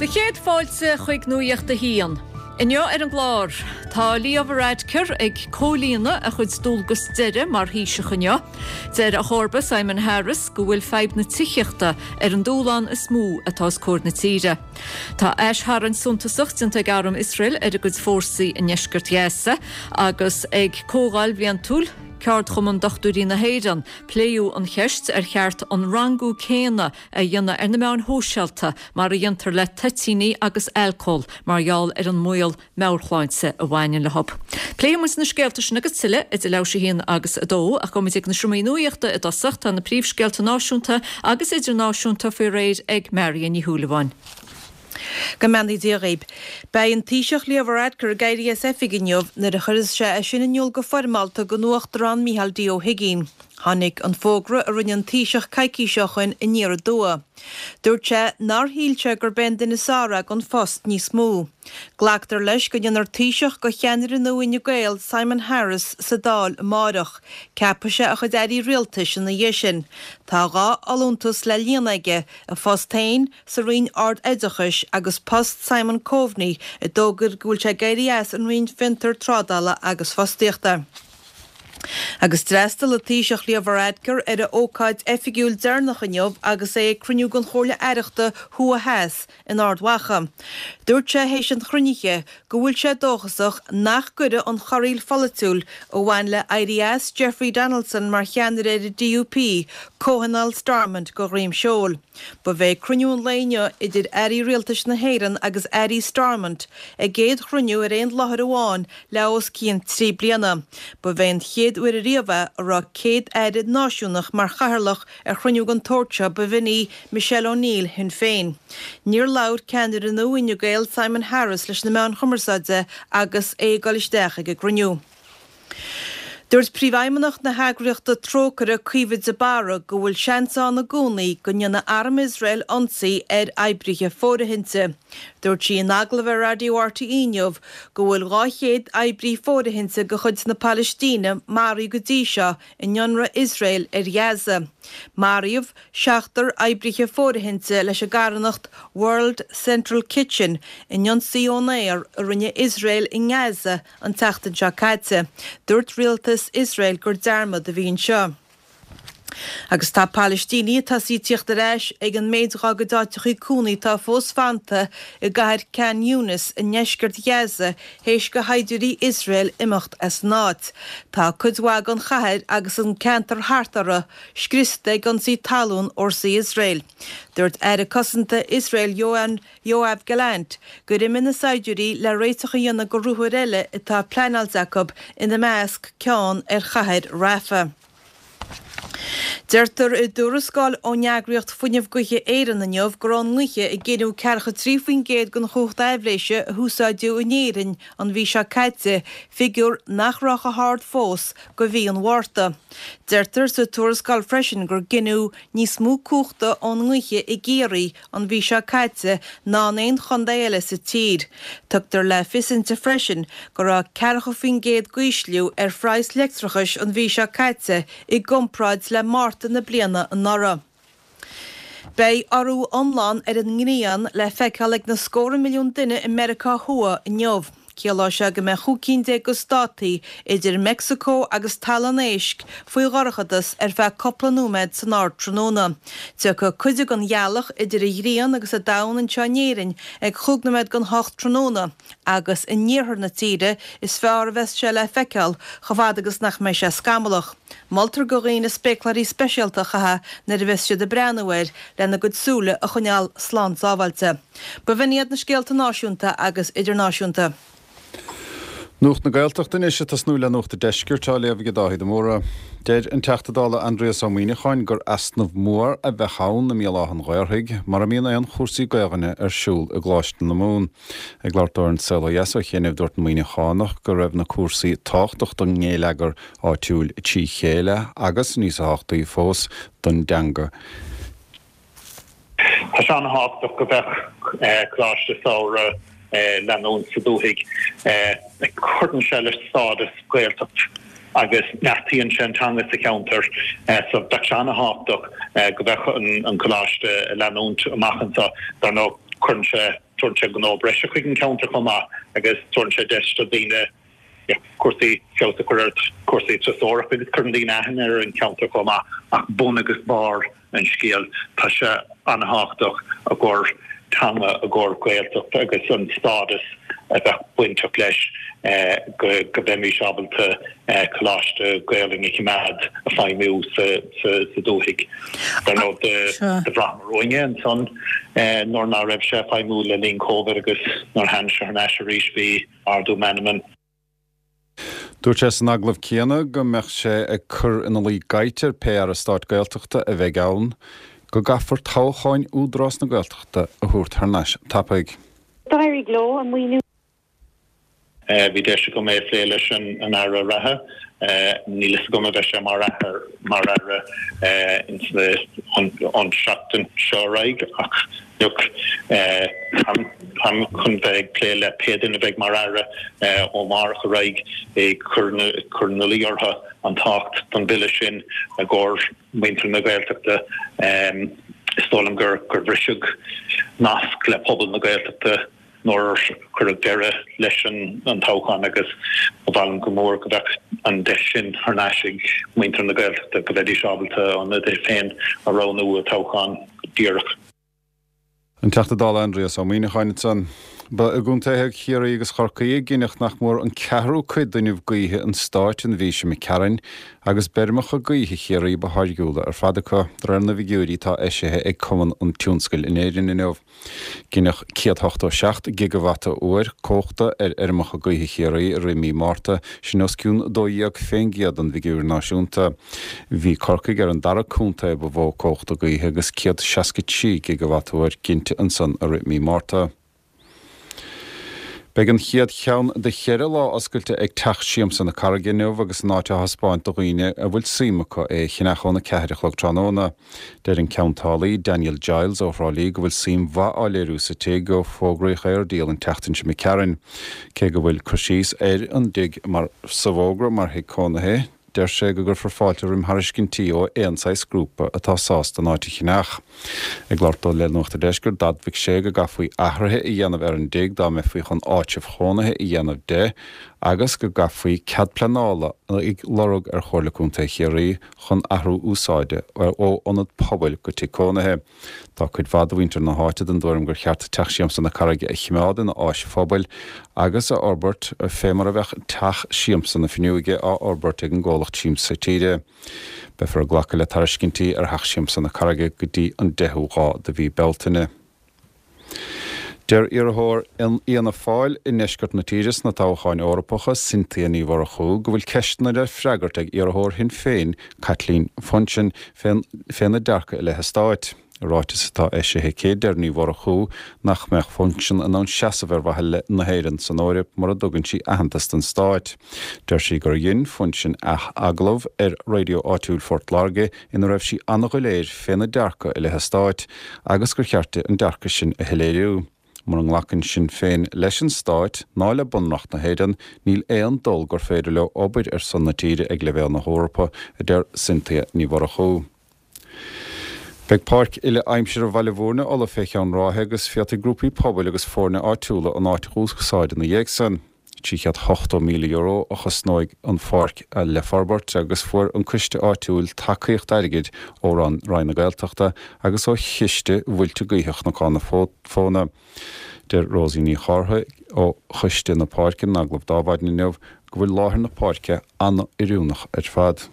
Do chéad fáilte chuig Nuacht a hAon. Inniu ar an gclár, tá Leo Varadkar ag comhlíonadh a chuid dualgas deiridh mar Thaoiseach inniu. Deir a chomharba Simon Harris go bhfuil fadhb na tithíochta ar an dúshlán is mó atá os comhair na tíre. Tá aistharraingt suntasach déanta ag arm Iosrael ar a gcuid fórsaí i ndeisceart Ghaza agus ag comhdháil bhliantúil Ceardchumann Dochtúirí na hÉireann pléadh an cheist ar cheart an rangú céanna a dhéanamh ar na meáin shóisialta mar a dhéantar le toitíní agus alcól mar gheall ar an mbaol meabhairshláinte a bhaineann leo. Pléifidh muid na scéalta sin agus tuilleadh idir leathuair tar éis a haon agus a dó ach gabhfaidh muid ag na seomraí nuachta i dtosach. Tá na príomhscéalta náisiúnta agus idirnáisiúnta faoi réir ag Marion Ní Shúilleabháin. Go mbeannaí Dia dhaoib. Beidh an Taoiseach Leo Varadkar ag éirí as oifig inniu nuair a chuirfeas sé é sin in iúl go foirmeálta don Uachtarán Micheál D. Ó hUigínn. Tháinig an fógra a rinne an Taoiseach coicís ó shoin aniar aduaidh. Dúirt sé nár shíl sé gurb é an duine is fearr é don phost níos mó. Glactar leis go ndéanfar Taoiseach de cheannaire nua Fhine Gael, Simon Harris, sa Dáil amáireach. Ceapfaidh sé a chuid airí rialtais ina dhiaidh sin. Tá 2 fholúntas le líonadh aige, a phost féin sa Roinn Ard-Oideachais agus post Simon Coveney a d'fhógair go bhfuil sé ag éirí as an Roinn Fiontar, Trádála agus Fostaíochta. Agus d'fhreastail an Taoiseach Leo Varadkar ar a ócáid oifigiúil deireanach inniu agus é ag cruinniú den Chomhairle Aireachta Thuaidh Theas in Ard Mhacha. Dúirt sé théis an chruinnithe go bhfuil sé dóchasach nach gcuirfidh an chorraíl pholaitiúil a bhain le éirí as Jeffrey Donaldson mar cheannaire ar an DUP comhthionól Stormont de dhroim seoil. Ba é cruinniú an lae inniu idir airí rialtais na hÉireann agus airí Stormont a gcéad chruinniú ar aon láthair amháin le os cionn 3 bliana. Ba é an chéad uair ariamh é a raibh Céad-Aire náisiúnach mar chathaoirleach ar chruinniú den tsórt seo, b'in í Michelle O'Neill Shinn Féin. Níor labhair ceannaire nua Fhine Gael Simon Harris leis na meáin chumarsáide agus é ag dul isteach ag an gcruinniú. Dúirt Príomhfheidhmeannach na heagraíochta Trócaire Caoimhe de Barra go bhfuil seans ann i gcónaí go ndéanfaidh arm Iosrael ionsaí ar oibrithe fóirithinte. Dúirt sí in agallamh ar Raidió RTÉ inniu go bhfuil 200 oibrí fóirithinte de chuid na Palaistíne maraithe go dtí seo in ionradh Iosrael ar Ghaza. Maraíodh seachtar oibrithe fóirithinte leis an gcarthanacht World Central Kitchen in ionsaí ón aer a rinne Iosrael i nGaza an tseachtain seo caite. Dúirt rialtas Iosrael gur dearmad a bhí anseo. Agus tá Palaistínigh ag tosaí ag tíocht ar ais ag an méid dhá gcuid áiteachaí cónaí atá fós fanta i gcathair Khan Younis i ndeisceart Ghaza théis do shaighdiúirí Iosrael imeacht as an áit. Tá cuid mhaith den chathair agus an ceantar thart uirthi scriosta ag ionsaí talún fhórsaí Iosrael. Dúirt Aire Cosanta Iosrael Yoav Gallant gur imigh na saighdiúirí le réiteach a dhéanamh do ruathair eile atá pleanáilte acu, ina measc ceann ar chathair Rafah. Deirtear i dtuarascáil ón eagraíocht Fuinneamh Gaoithe Éireann inniu gur ón ngaoth a gineadh ceathracha 3% den chumhacht aibhléise a húsáideadh in Éirinn an mhí seo caite, figiúr nach raibh chomh hard fós go mhí an Mhárta. Deirtear sa tuarascáil freisin gur gineadh níos mó cumhachta ón ngaoth i gCiarraí an mhí seo caite ná in aon chontae eile sa tír. Tugtar le fios inti freisin go raibh 40% d'ísliú ar phraghas leictreachais an mhí seo caite i gcomparáid le Márta na bliana anuraidh. Beidh urú iomlán ar an ngrian le feiceáil ag na scórtha milliún duine i Meiriceá Thuaidh inniu. Ciallóidh sé go mbeidh 15 cinn de státaí idir Meicsiceo agus Talamh an Éisc faoi dhorchadas ar feadh cúpla nóiméad san ardtráthnóna. Tiocfaidh cuid den ghealach idir an ghrian agus an domhan anseo in Éirinn ag chúig nóiméad don hocht tráthnóna agus in iarthar na tíre is fearr a bheas sé le feiceáil chomh fada agus nach mbeidh sé scamallach. Moltar do dhaoine spéacláirí speisialta a chaitheamh nuair a bheas siad ag breathnú air lena gcuid súile a choinneáil slán sábháilte. B'in iad na scéalta náisiúnta agus idirnáisiúnta. Nuacht na Gaeltachta anois, ag tosnú le Nuacht an Deiscirt, á léamh ag Dáithí de Mórdha. Deir an Teachta Dála Aindrias Ó Muíneacháin gur easnamh mór a bheadh ann i mBéal Átha an Ghaorthaidh mura mbíonn aon chúrsaí Gaelainne ar siúl i gColáiste na Mumhan. Ag labhairt dó ar An Saol Ó Dheas ó chianaibh dúirt an Muíneachánach go raibh na cúrsaí tábhachtach don ngéilleagar áitiúil trí chéile agus, níos tábhachtaí fós, don dteanga. Tá sé an-thábhachtach go mbeadh coláiste samhraidh leanúint sa dúthaigh. Cuireann sé le stádas Gaeltacht agus neartaíonn sé an teanga sa cheantar. So bheadh sé an-thábhachtach go mbeadh an coláiste leanúint amach anseo. Dar ndóigh. Cuireann sé, tabharann sé gnó breise chuig an cheantar chomh maith agus tabharann sé deis do dhaoine cúrsaí, feabhas a chur ar chúrsaí turasóireachta agus cuireann daoine aithne ar an cheantar chomh maith ach bun agus barr an scéil tá sé an-thábhachtach i gcomhair teanga, i gcomhair Gaeltacht agus an stádas a bheadh bainteach leis go go mbeimis ábalta coláiste Gaelainne a choimeád ag feidhmiú sa sa dúthaigh. Dar ndóigh do bhraitheamar uainn é ansan nuair ná raibh sé ag feidhmiú le linn Covid agus nuair a tháinig sé thar n-ais arís bhí ardú meanman. Dúirt sé san agallamh céanna go mbeadh sé ag cur ina luí gaibhte ar pé Aire Stáit Gaeltachta a bheidh ann go gcaithfear toghcháin Údarás na Gaeltachta a thabhairt thar n-ais tapaidh. D'éirigh leo an maoiniú. Bhí deis agam é a phlé leis an Aire reatha. Níl fhios agam an mbeidh sé mar mar Aire ins na an seachtain seo ar aghaidh ach Look, táim chun bheith ag plé le pé duine a bheidh mar Aire ó amárach ar aghaidh ag cur ina luí orthu an tábhacht don bhille sin i gcomhair muintir na Gaeltachta. Is dóigh liom gur bhriseadh nasc le pobal na Gaeltachta nuair a cuireadh deireadh leis an toghchán agus ba mhaith liom go mór go mbeadh an deis sin thar n-ais ag muintir na Gaeltachta, go mbeidís ábalta a n-ionadaithe féin a roghnú i dtoghchán díreach. An Teachta Dála Aindrias Ó Muíneacháin ansan. Ba i gcontaetha Chiarraí agus Chorcaí a gineadh nach mór an ceathrú cuid d'fhuinneamh gaoithe an stáit an mhí seo imigh tharainn agus b'fheirmeacha gaoithe Chiarraí ba tháirgiúla ar fad acu, de réir na bhfigiúirí atá eisithe ag Cumann an Tionscail in Éirinn inniu. Gineadh 187 gigeavata uair cumhachta ar fheirmeacha gaoithe Chiarraí i rith mí Márta, sin os cionn 12% den bhfigiúr náisiúnta. Bhí Corcaigh ar an dara contae ba mhó cumhachta gaoithe agus 163 gigeavata uair ginte ansan i rith mí Márta. Beidh an chéad cheann de cheithre lá oscailte ag Teach Siamsa na Carraige inniu agus an áit á thaispeáint do dhaoine a bhfuil suim acu é a cheannach óna ceathair a chlog tráthnóna. Deir an ceantálaí, Daniel Giles ó Thrá Lí go bhfuil suim mhaith á léiriú sa tigh ó fógraíodh é ar díol an tseachtain seo imigh tharainn. Cé go bhfuil cur síos ar an dtigh mar sa bhfógra mar thigh cónaithe, Deir sé go gcuirfear fáilte roimh thairiscintí ó aon saghas grúpa atá sásta an áit a cheannach. Ag labhairt dó le Nuacht an Deiscirt, d'admhaigh sé go gcaithfí athruithe a dhéanamh ar an dtigh dá mbeifí chun áitreabh chónaithe a dhéanamh de agus go gcaithfí cead pleanála a lorg ar Chomhairle Contae Chiarraí chun athrú úsáide ó ionad pobail go tigh cónaithe. Tá cuid mhaith de mhuintir na háite den dtuairim gur cheart Teach Siamsa na Carraige a chimeád ina áis phobail agus a fhorbairt fé mar a bheadh Teach Siamsa na Finneoige á fhorbairt ag an gcomhlacht Siamsa Tíre. Beifear ag glacadh le tairiscintí ar Theach Siamsa na Carraige go dtí an 10ú lá de mhí Bealtaine. Deir iarrthóir Fhianna Fáil i ndeisceart na tíre sna toghcháin Eorpacha, Cynthia Ní Mhurchú, go bhfuil ceisteanna le freagairt ag iarrthóir Shinn Féin, Caitlín Funchion, féna dearcadh i leith an stáit. I ráiteas atá eisithe aici, deir Ní Mhurchú nach mbeadh Funchion in ann seasamh ar mhaithe le na hÉireann san Eoraip mura dtugann sí aitheantas don stáit. Deir sí gur dhein Funchion agallamh ar raidió áitiúil Phort Láirge ina raibh sí an-dhoiléir féna dearcadh i leith an stáit agus gur cheart di an dearcadh sin a shoiléiriú. Mura nglacann Sinn Féin leis an Stáit ná le Bunreacht na hÉireann, níl aon dul gur féidir leo obair ar son na tíre ag leibhéal na hEorpa, a deir Cynthia Ní Mhurchú. Beidh páirc uile-aimsire Bhaile Bhúirne ullamh fé cheann ráithe agus féadfaidh grúpaí pobail agus foirne áitiúla an áit a úsáid ina dhiaidh san. €380,000 a chosnóidh an pháirc le forbairt agus fuair an coiste áitiúil tacaíocht airgid ó Roinn na Gaeltachta agus ó Chiste Mhuilte Gaoithe Chnocán na Fóna. Deir Rosie Ní Chárthaigh ó choiste na páirce in agallamh d'Adhmhaidin inniu go bhfuil láthair na páirce an-oiriúnach ar fad.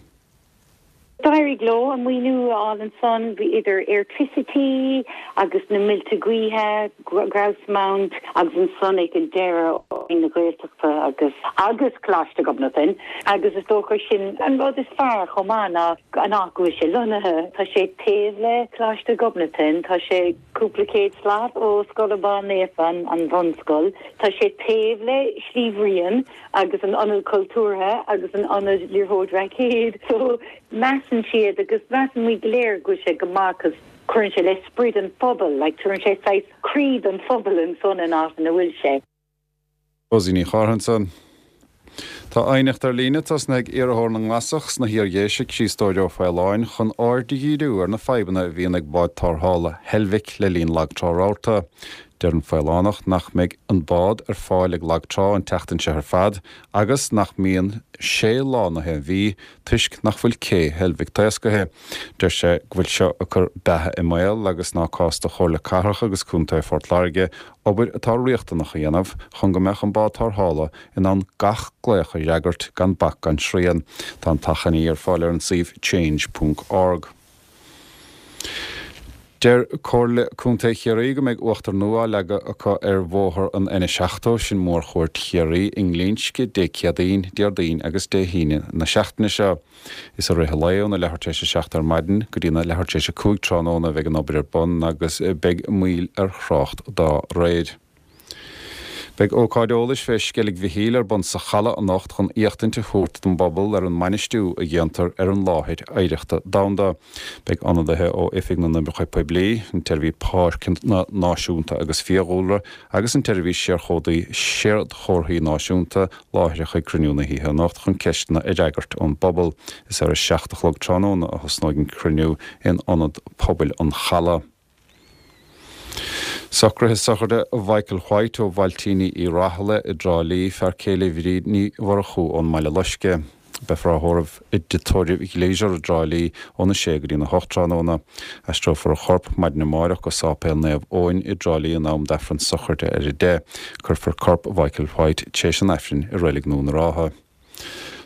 D'éirigh leo an maoiniú a fháil ansan, bhí idir Airtricity agus na muilte gaoithe, Grouse Mount agus ansan ag an deireadh Roinn na Gaeltachta agus agus Coláiste Ghobnatan agus is dócha sin an rud is fearr chomh maith ná an áit go bhfuil sé lonnaithe. Tá sé taobh le Coláiste Ghobnatan, tá sé cúpla céad slat ó Scoil Abán Naofa, an bhunscoil, tá sé taobh le Slí Bhriain, agus an Ionad Cultúrtha agus an Ionad Liathróid Raicéid so measann siad agus measann muid go léir go bhfuil sé go maith cos cuireann sé le sprid an phobail like tugann sé saghas croí don phobal ansan in áit ina bhfuil sé. Rosie Ní Chárthaigh ansan. Tá aighneacht ar líne tosnaithe ag iarrthóir na nGlasach sna hIar-Dhéise, Críostóir Ó Faoláin, chun aird a dhíriú ar na fadhbanna a bhíonn ag bád tarrthála Heilbhic le linn lagtrá rabharta. Deir an Faolánach nach mbeidh an bád ar fáil ag lag trá an tseachtain seo ar fad agus nach mbíonn sé lá na haon mhí toisc nach bhfuil cé Heilbhic taoscaithe. Deir sé go bhfuil seo ag cur beatha i mbaol agus ná cás do Chomhairle Cathrach agus Contae Phort Láirge obair atá riachtanach a dhéanamh chun go mbeadh an bád tarrthála in ann gach glaoch a fhreagairt gan bac gan srian. Tá an t-achainí ar fáil ar an suíomh change ponc org. Deir Comhairle Contae Chiarraí go mbeidh uachtar nua á leagadh acu ar bhóthar an N70, sin Mórchuaird Chiarraí, i nGlinsce, Dé Céadaoin, Déardaoin agus Dé hAoine na seachtaine seo. Is i rith an lae óna leathuair tar éis a 7 ar maidin go dtí na leathuair tar éis a 5 tráthnóna a bheidh an obair ar bun agus beidh moill ar thrácht dá réir. Beidh ócáid eolais fé Sceilg Mhichíl ar bun sa Chaladh anocht chun éachtaint a thabhairt don bpobal ar an mbainistiú a dhéantar ar an láthair oidhreachta domhanda. Beidh ionadaithe ó Oifig na nOibreacha Poiblí, an tSeirbhís Páirceanna Náisiúnta agus Fiadhúlra agus an tSeirbhís Séadchomharthaí Náisiúnta láithreach ag cruinniú na hoíche anocht chun ceisteanna a fhreagairt ón bpobal. Is ar a 7 a chlog tráthnóna a thosnóidh an cruinniú in Ionad Pobail an Chalaidh. Socruithe sochraide Mhichael White ó Bhailtíní Uí Rathaille i dTrá Lí, fear céile Bhríd Ní Mhurchú ón mBaile Loiscthe. Beifear á thórramh i dTigh Tórraimh Ghleisure i dTrá Lí óna 6 go dtína 8 tráthnóna. Aistreofar a chorp maidin amárach go Sáipéal Naomh Eoin i dTrá Lí in am d'Aifreann sochraide ar 10. Cuirfear corp Mhichael White tar éis an Aifrinn i Reilig Nua na Rátha.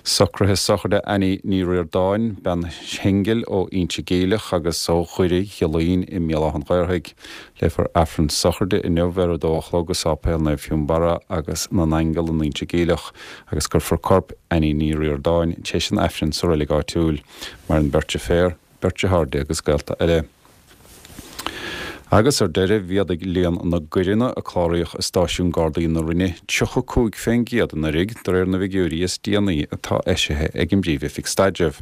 Socruithe sochraide Annie Ní Ríordáin, bean shingil ó Inse Geimhleach agus ó Dhoire Ghiolláin i mBéal Átha an Ghaorthaidh. Léifear Aifreann sochraide inniu ar a dó a chlog i Sáipéal Naomh Fionnbarra agus na nAingeal in Inse Geimhleach agus cuirfear corp Annie Ní Ríordáin tar éis an Aifrinn sa reilig áitiúil. Maireann beirt deirféar, beirt deartháir agus gaolta eile. Agus ar deireadh, mhéadaigh líon na gcoireanna a cláraíodh i stáisiún Gardaí na Rinne 35% anuraidh, de réir na bhfigiúirí is déanaí atá eisithe ag an bPríomh-Oifig Staidrimh.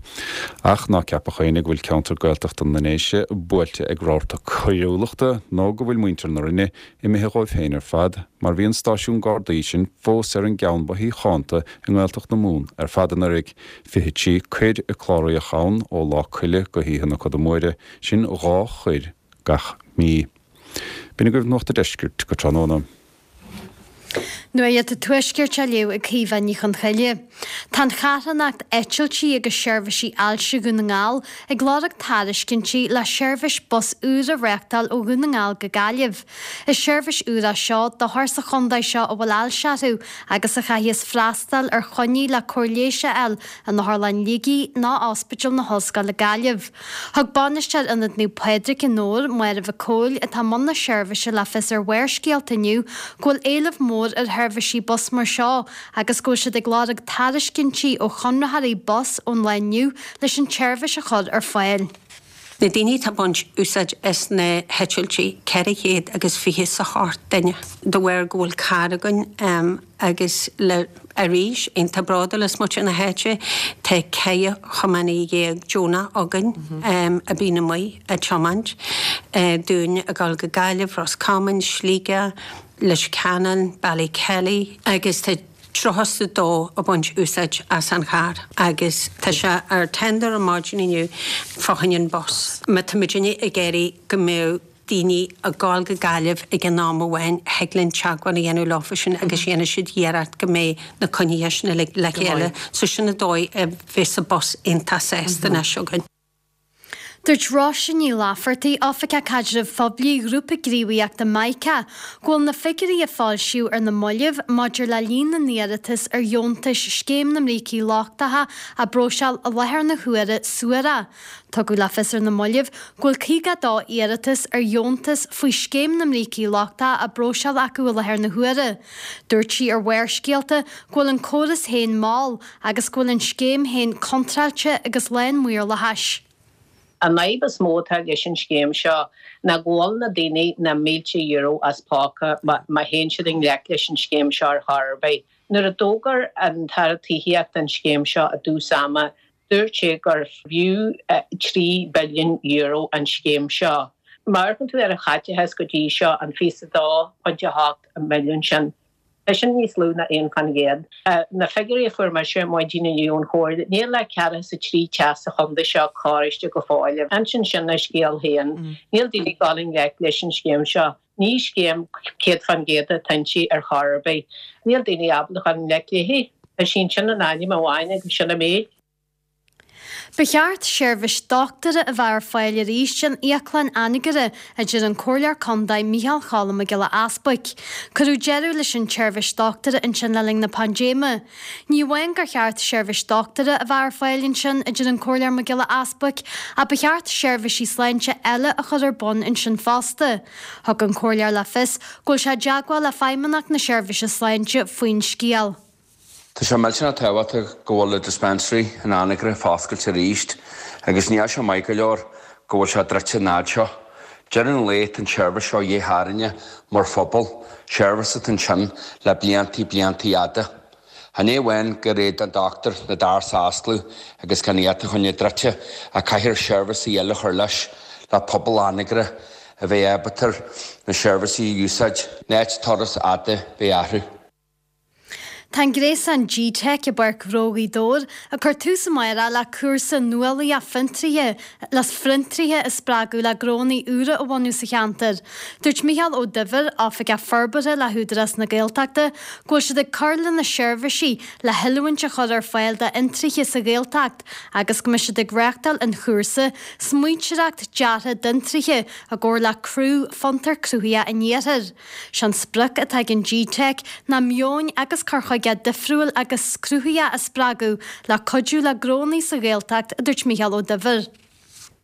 Ach ná ceapadh éinne go bhfuil ceantar Gaeltachta na nDéise buailte ag rabharta coiriúlachta nó go bhfuil muintir na Rinne imithe dhóibh féin ar fad, mar bhí an stáisiún Gardaí sin fós ar an gceann ba shíochánta i nGaeltacht na Mumhan ar fad anuraidh. 23 coir a cláraíodh ann ó Lá Coille go hoíche na Coda Móire, sin 2 choir gach mí. B'in agaibh Nuacht a' Deiscirt go tráthnóna. Nuacht an Tuaiscirt á léamh ag Caoimhe Ní Chonchoille. Tá an charthanacht Eitiltí agus Seirbhísí Ailse Dhún na nGall ag lorg tairiscintí le seirbhís bus úr a reáchtáil ó Dhún na nGall go Gaillimh. Is seirbhís úr é seo d'othair sa chontae seo a bhfuil ailse orthu agus a chaithfeas freastal ar choinní le cóir leighis a fháil in Otharlann Shligigh nó Ospidéal na hOllscoile Gaillimh. Thug bainisteoir Ionad Naomh Pádraig i nDobhar, Máire Mhic Cóil, atá i mbun na seirbhíse le fios ar Bharrscéalta inniu go bhfuil éileamh mór ar sheirbhísí bus mar seo agus go bhfuil siad ag lorg tairiscintí ó chonraitheoirí bus ón lá inniu leis an tseirbhís a chur ar fáil. Na daoine atá ag baint úsáid as na heitiltí, 400 agus 20 is a hocht duine. De bharr go bhfuil carr againn agus le arís, iontach bródúil as muintir na háite, tá 14 thiománaí deonach againn a bíonn amuigh ag tiomáint dúinn ag dul go Gaillimh, Ros Comáin, Sligeach, Leitir Ceanainn, Ballykelly agus tá 32 ag baint úsáid as an charr agus tá sé ar tender ar maidin inniu fá choinne an bus. Má tá muidinne ag iarraidh go mbeadh daoine ag gabháil go Gaillimh ag an am amháin thig linn teagmháil a dhéanamh leofa sin agus dhéanfaidh siad iarracht go mbeidh na coinnithe sin uilig le chéile. So sin an dóigh a bheas an bus iontach sásta anois againn. Dúirt Róise Ní Laifeartaigh, Oifigeach Caidrimh Phoiblí Ghrúpa Gníomhaíochta Mica, go bhfuil na figiúirí a foilsíodh ar na mallaibh maidir le líon na n-iarratas ar dheontais Scéim na mBrící Lochtacha á bpróiseáil i láthair na huaire suarach. Tugadh le fios ar na mallaibh go bhfuil 52 iarratas ar dheontas faoi Scéim na mBrící Lochtacha á bpróiseáil acu i láthair na huaire. Dúirt sí ar Bharrscéalta go bhfuil an córas féin mall agus go bhfuil an scéim féin contráilte agus lán maorlathais. An fhadhb is mó atá leis an scéim seo ná go bhfuil na daoine na mílte euro as póca má théann siad i ngleic leis an scéim seo ar chor ar bith. Nuair a d'fhógair an tAire Tithíochta an scéim seo i dtús ama, dúirt sé gur bhfiú €3 billiún an scéim seo. Má amharcann tú ar an chaiteachas go dtí seo, an 22.8 milliún sin, Tá sin níos lú ná 1%. Na figiúirí a fuair mise ar maidin inniu ón Chomhairle, níl ach 43 teach sa chontae seo cóirithe go fóill. Insíonn sin a scéal féin. Níl daoine ag dul i ngleic leis an scéim seo. Ní scéim 100% atá inti ar chor ar bith. Níl daoine ábalta a chur i ngleic léi. Tá sí ansin in ainm amháin agus sin an méid. Ba cheart seirbhís dochtúra a bheith ar fáil arís in Íoclann Anagaire, a deir an Comhairleoir Contae Micheál Cholm Mac Giolla Easbuic. Cuireadh deireadh leis an tseirbhís dochtúra ansin le linn na paindéime. Ní amháin gur cheart seirbhís dochtúra a bheith ar fáil ansin, a deir an Comhairleoir Mac Giolla Easbuic, ach ba cheart seirbhísí sláinte eile a chur ar bun ansin fosta. Thug an Comhairleoir le fios go bhfuil sé i dteagmháil le Feidhmeannacht na Seirbhíse Sláinte faoin scéal. Tá sé millteanach tábhachtach go bhfuil an dispensary in Anagaire foscailte arís agus níl sé maith go leor go bhfuil sé druidte an fhad seo. Deireadh an lae tá an seirbhís seo dhith orainne mar phobal, seirbhís atá ansin le bliantaí bliantaí fhada. Chan é amháin gur fhéad an dochtúir na doirse a oscladh agus gan iad a choinneáil druidte ach caithfear seirbhísí eile a chur leis le pobal Anagaire a bheith ábalta na seirbhísí a úsáid, in áit turas fhada bheith orthu. Tá an gréasán G-Teic i bPáirc Ghnó Ghaoth Dobhair ag cur tús amárach le cúrsa nuálaíoch fiontraithe le fiontraithe a spreagadh le gnónna úra a bhunú sa cheantar. Dúirt Micheál Ó Duibhir, Oifigeach Forbartha le hÚdarás na Gaeltachta, go bhfuil siad ag cur lena seirbhísí le hoiliúint a chur ar fáil d'fhiontraithe sa Ghaeltacht agus go mbeidh siad ag reáchtáil an chúrsa Smaointeoireacht Deartha d'Fhiontraithe i gcomhar le Craobh Fiontar Cruthaitheach an Iarthair. Sé'n sprioc atá ag an G-Teic ná meoin agus cur chuige difriúil agus cruthaitheach a spreagadh le cuidiú le gnónnaí sa Ghaeltacht, a dúirt Micheál Ó Duibhir.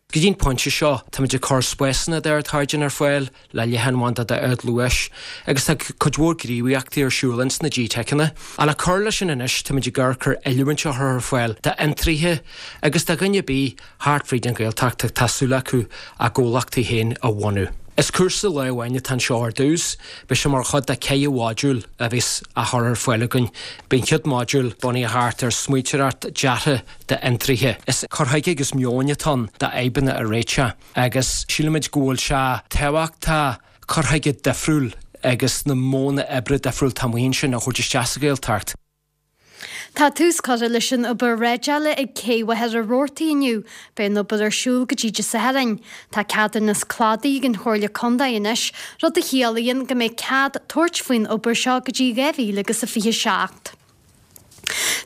Go dtí an pointe seo, táimid ag cur spásanna d'ardchaighdeán ar fáil le leathanbhanda d'ardluais agus tá cuid mhór gníomhaíochtaí ar siúl ins na G-Teiceanna. Ach le cur leis sin anois, táimid ag amharc ar oiliúint a chur ar fáil d'fhiontraithe agus do dhuine ar bith thart fríd an Ghaeltacht atá súil acu a gcomhlachtaí féin a bhunú. Is cúrsa lae amháin atá anseo ar dtús. Beidh sé mar chuid de cheithre mhodúl a bheas á chur ar fáil againn. Beidh an chéad mhodúl bunaithe thart ar smaointeoireacht deartha d'fhiontraithe. Is cur chuige agus meoin atá ann d'fhadhbanna a réiteach agus sílimid go bhfuil sé tábhachtach cur chuige difriúil agus na modhanna oibre difriúil atá amuigh ansin a thabhairt isteach sa Ghaeltacht. Tá tús curtha leis an obair dreideála ag Cé Mhachaire Rabhartaigh inniu. Beidh an obair ar siúl go dtí Dé Sathairn. Tá ceadúnas cladaigh ag an Chomhairle Contae anois, rud a chiallaíonn go mbeidh cead tabhairt faoin obair seo go dtí 2027.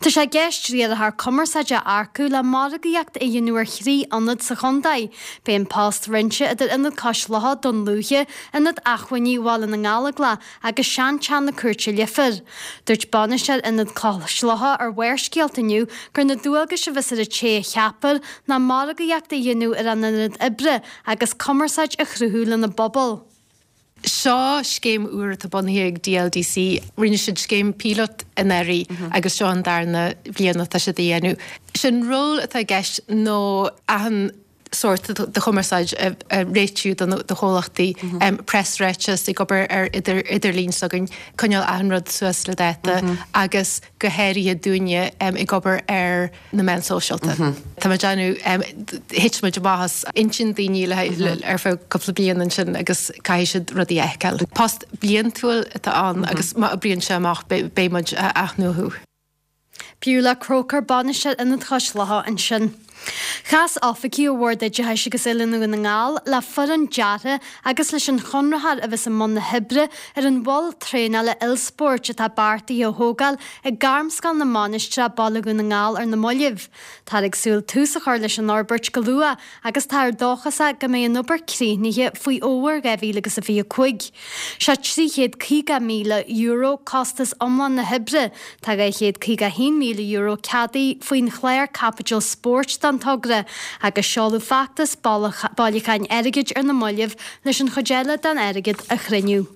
Tá sé i gceist riarthóir cumarsáide a earcú le margaíocht a dhéanamh ar thrí ionad sa chontae. Beidh an post roinnte idir Ionad Cois Locha, Dún Lúiche, Ionad Acmhainní Bhaile na nGallóglach agus Seanteach na Cúirte Leifear. Dúirt bainisteoir Ionad Cois Locha ar Bharrscéalta inniu gur na dualgais a bheas ar an té a cheapfar ná margaíocht a dhéanamh ar an ionad oibre agus cumarsáid a chruthú lena bpobal. Seo scéim úr atá bunaithe ag DLDC. Rinne siad scéim píolót anuraidh agus seo an darna bhliain atá siad a dhéanamh. Sé'n ról atá i gceist nó achan sórt de chumarsáid a réitiú do chomhlachtaí, preasráiteas, ag obair ar idirlíon s'againn, coinneáil achan rud suas le dáta agus go háirithe dúinne ag obair ar na meáin sóisialta. Tá muid déanamh, thit muid amach as intinn daoine le ar feadh cúpla bliain ansin agus caithfidh siad rudaí a fheiceáil. Post bliantúil atá ann agus má oibríonn sé amach beidh muid á athnuachú. Beulah Croker, Bainisteoir Ionad Chois Locha ansin. Chas oifigigh ó Bhord Oideachais agus Oiliúna Dhún na nGall le foireann deartha agus leis an chonraitheoir a bheas i mbun na hoibre ar an mhol traenála ilspóirt atá beartaithe a thógáil ag Gairmscoil na Mainistreach, Baile Dhún na nGall ar na mallaibh. Táthar ag súil tús a chur leis an fhorbairt go luath agus táthar dóchasach go mbeidh an obair críochnaithe faoi fhómhar 2025. Sé €350,000 costas iomlán na hoibre. Tá €251,000 ceadaithe faoin chlár Caipitil Spóirt don togra agus seoladh feachtas bailiúcháin airgid ar na mallaibh leis an chuid eile den airgead a chruinniú.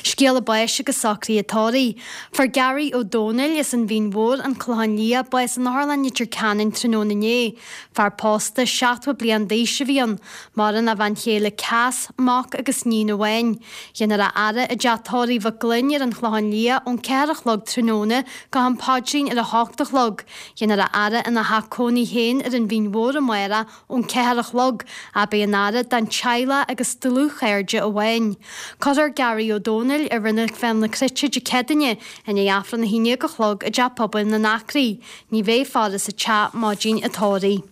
Scéala báis agus socruithe tórraimh. Fuair Gary Ó Dónaill as an Mhín Mhór, An Clochán Liath, bás in Otharlann Leitir Ceanainn tráthnóna inné. Fear pósta, 70 bliain d'aois a bhí ann. Maireann a bhean chéile Cass, mac agus níon amháin. Dhéanfar a fhaire i dteach tórraimh Mhic Gloinn ar an Chlochán Liath ón 4 a chlog tráthnóna go ham paidrín ar a hocht a chlog. Dhéanfar a fhaire ina theach cónaí féin ar an Mhín Mhór amárach ón 4 a chlog, ach beidh an fhaire don teaghlach agus dlúthchairde amháin. Cuirfear Gary Ó Dónaill i Reilig Bhéal na Cruite Dé Céadaoine, i ndiaidh Aifreann 11 a chlog i dTeach Pobail na nAcraí. Ní bheidh faire sa teach maidin an tórraimh.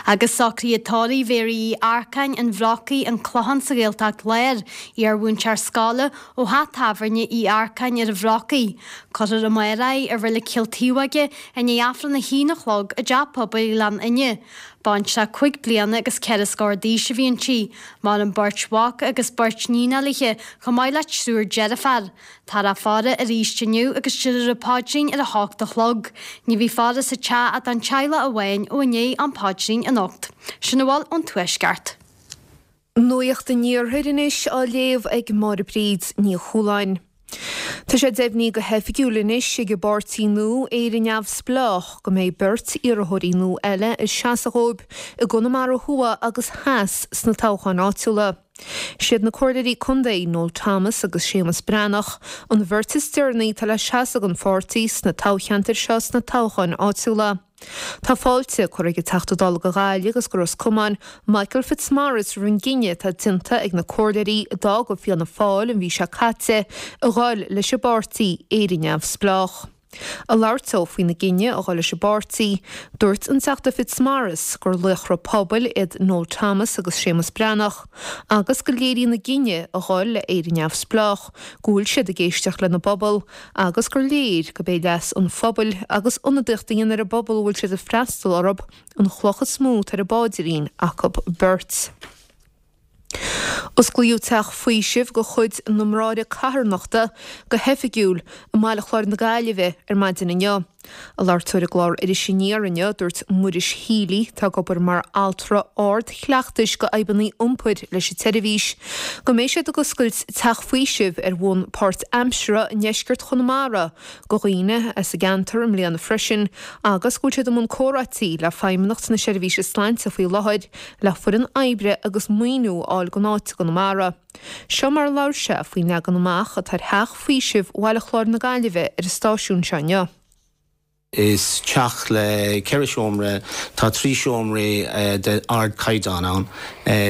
Agus socruithe tórraimh Mhéaraí Uí Earcáin, an Bhrocaigh, An Clochán sa Ghaeltacht Láir, iar-mhúinteoir scoile ó theach tábhairne Uí Earcáin ar an Bhrocaigh. Cuirfear amárach í i Reilig Chill Taobhóige i ndiaidh Aifreann a haon a chlog i dTeach Pobail Ghleann Fhinne. Baintreach 5 bliana agus 4 scór d'aois a bhí inti. Maireann beirt mhac agus beirt níon léithe, chomh maith le triúr deirféar. Táthar á faire arís inniu agus déarfar an paidrín ar a hocht a chlog. Ní bheidh faire sa teach ach don teaghlach amháin ó i ndiaidh an phaidrín anocht. Sin a bhfuil ón Tuaisceart. Nuacht an Iarthair anois á léamh ag Máire Bríd Ní Chualáin. Tá sé deimhnithe go hoifigiúil anois ag an bpáirtí nua Éire Neamhspleách go mbeidh beirt iarrthóirí nua eile ag seasamh dhóibh i gConamara Thuaidh agus Theas sna toghcháin áitiúla. Siad na Comhairleoirí Contae, Noel Thomas agus Séamus Breathnach, an bheirt is deireanaí atá le seasamh don pháirtí sna toghcheantair seo sna toghcháin áitiúla. Tá fáilte curtha ag an Teachta Dála do Ghaillimh agus do Ros Comáin, Michael Fitzmaurice roimh an gcinneadh atá déanta ag na comhairleoirí a d'fhág Fianna Fáil an mhí seo caite a ghoil leis an bpáirtí Éire Neamhspleách. Ag labhairt dó faoina gcinneadh a dhul leis an bpáirtí, dúirt an Teachta Fitzmaurice gur laochra pobail iad Noel Thomas agus Séamus Breathnach agus go léiríonn a gcinneadh a dhul le Éire Neamhspleách go bhfuil siad ag éisteacht lena bpobal agus gur léir gurb é leas an phobail agus ionadaíocht a dhéanamh ar an bpobal a bhfuil siad ag freastal orthu an chloch is mó atá ar a bpaidrín acu beirt. Osclaíodh teach faoisimh de chuid na mBráithre Carthanachta go hoifigiúil i mBaile Chláir na Gaillimhe ar maidin inniu. Ag labhairt dó ar an gclár Iris Aniar inniu, dúirt Muiris Healy, atá ag obair mar altra ard-chleachtais do fhadhbanna iompair leis an tseirbhís, go mbeidh siad ag oscailt teach faoisimh ar bhonn páirtaimseartha i ndeisceart Chonamara do dhaoine as an gceantar i mbliana freisin agus go bhfuil siad i mbun comhráití le Feidhmeannacht na Seirbhíse Sláinte faoi láthair le foireann oibre agus maoiniú a fháil don áit i gConamara. Seo mar a labhair sé faoin leagan amach atá ar theach faoisimh Bhaile Chláir na Gaillimhe ar an stáisiún seo inniu. Is teach le 4 seomra, tá 3 seomraí de ardchaighdeán ann.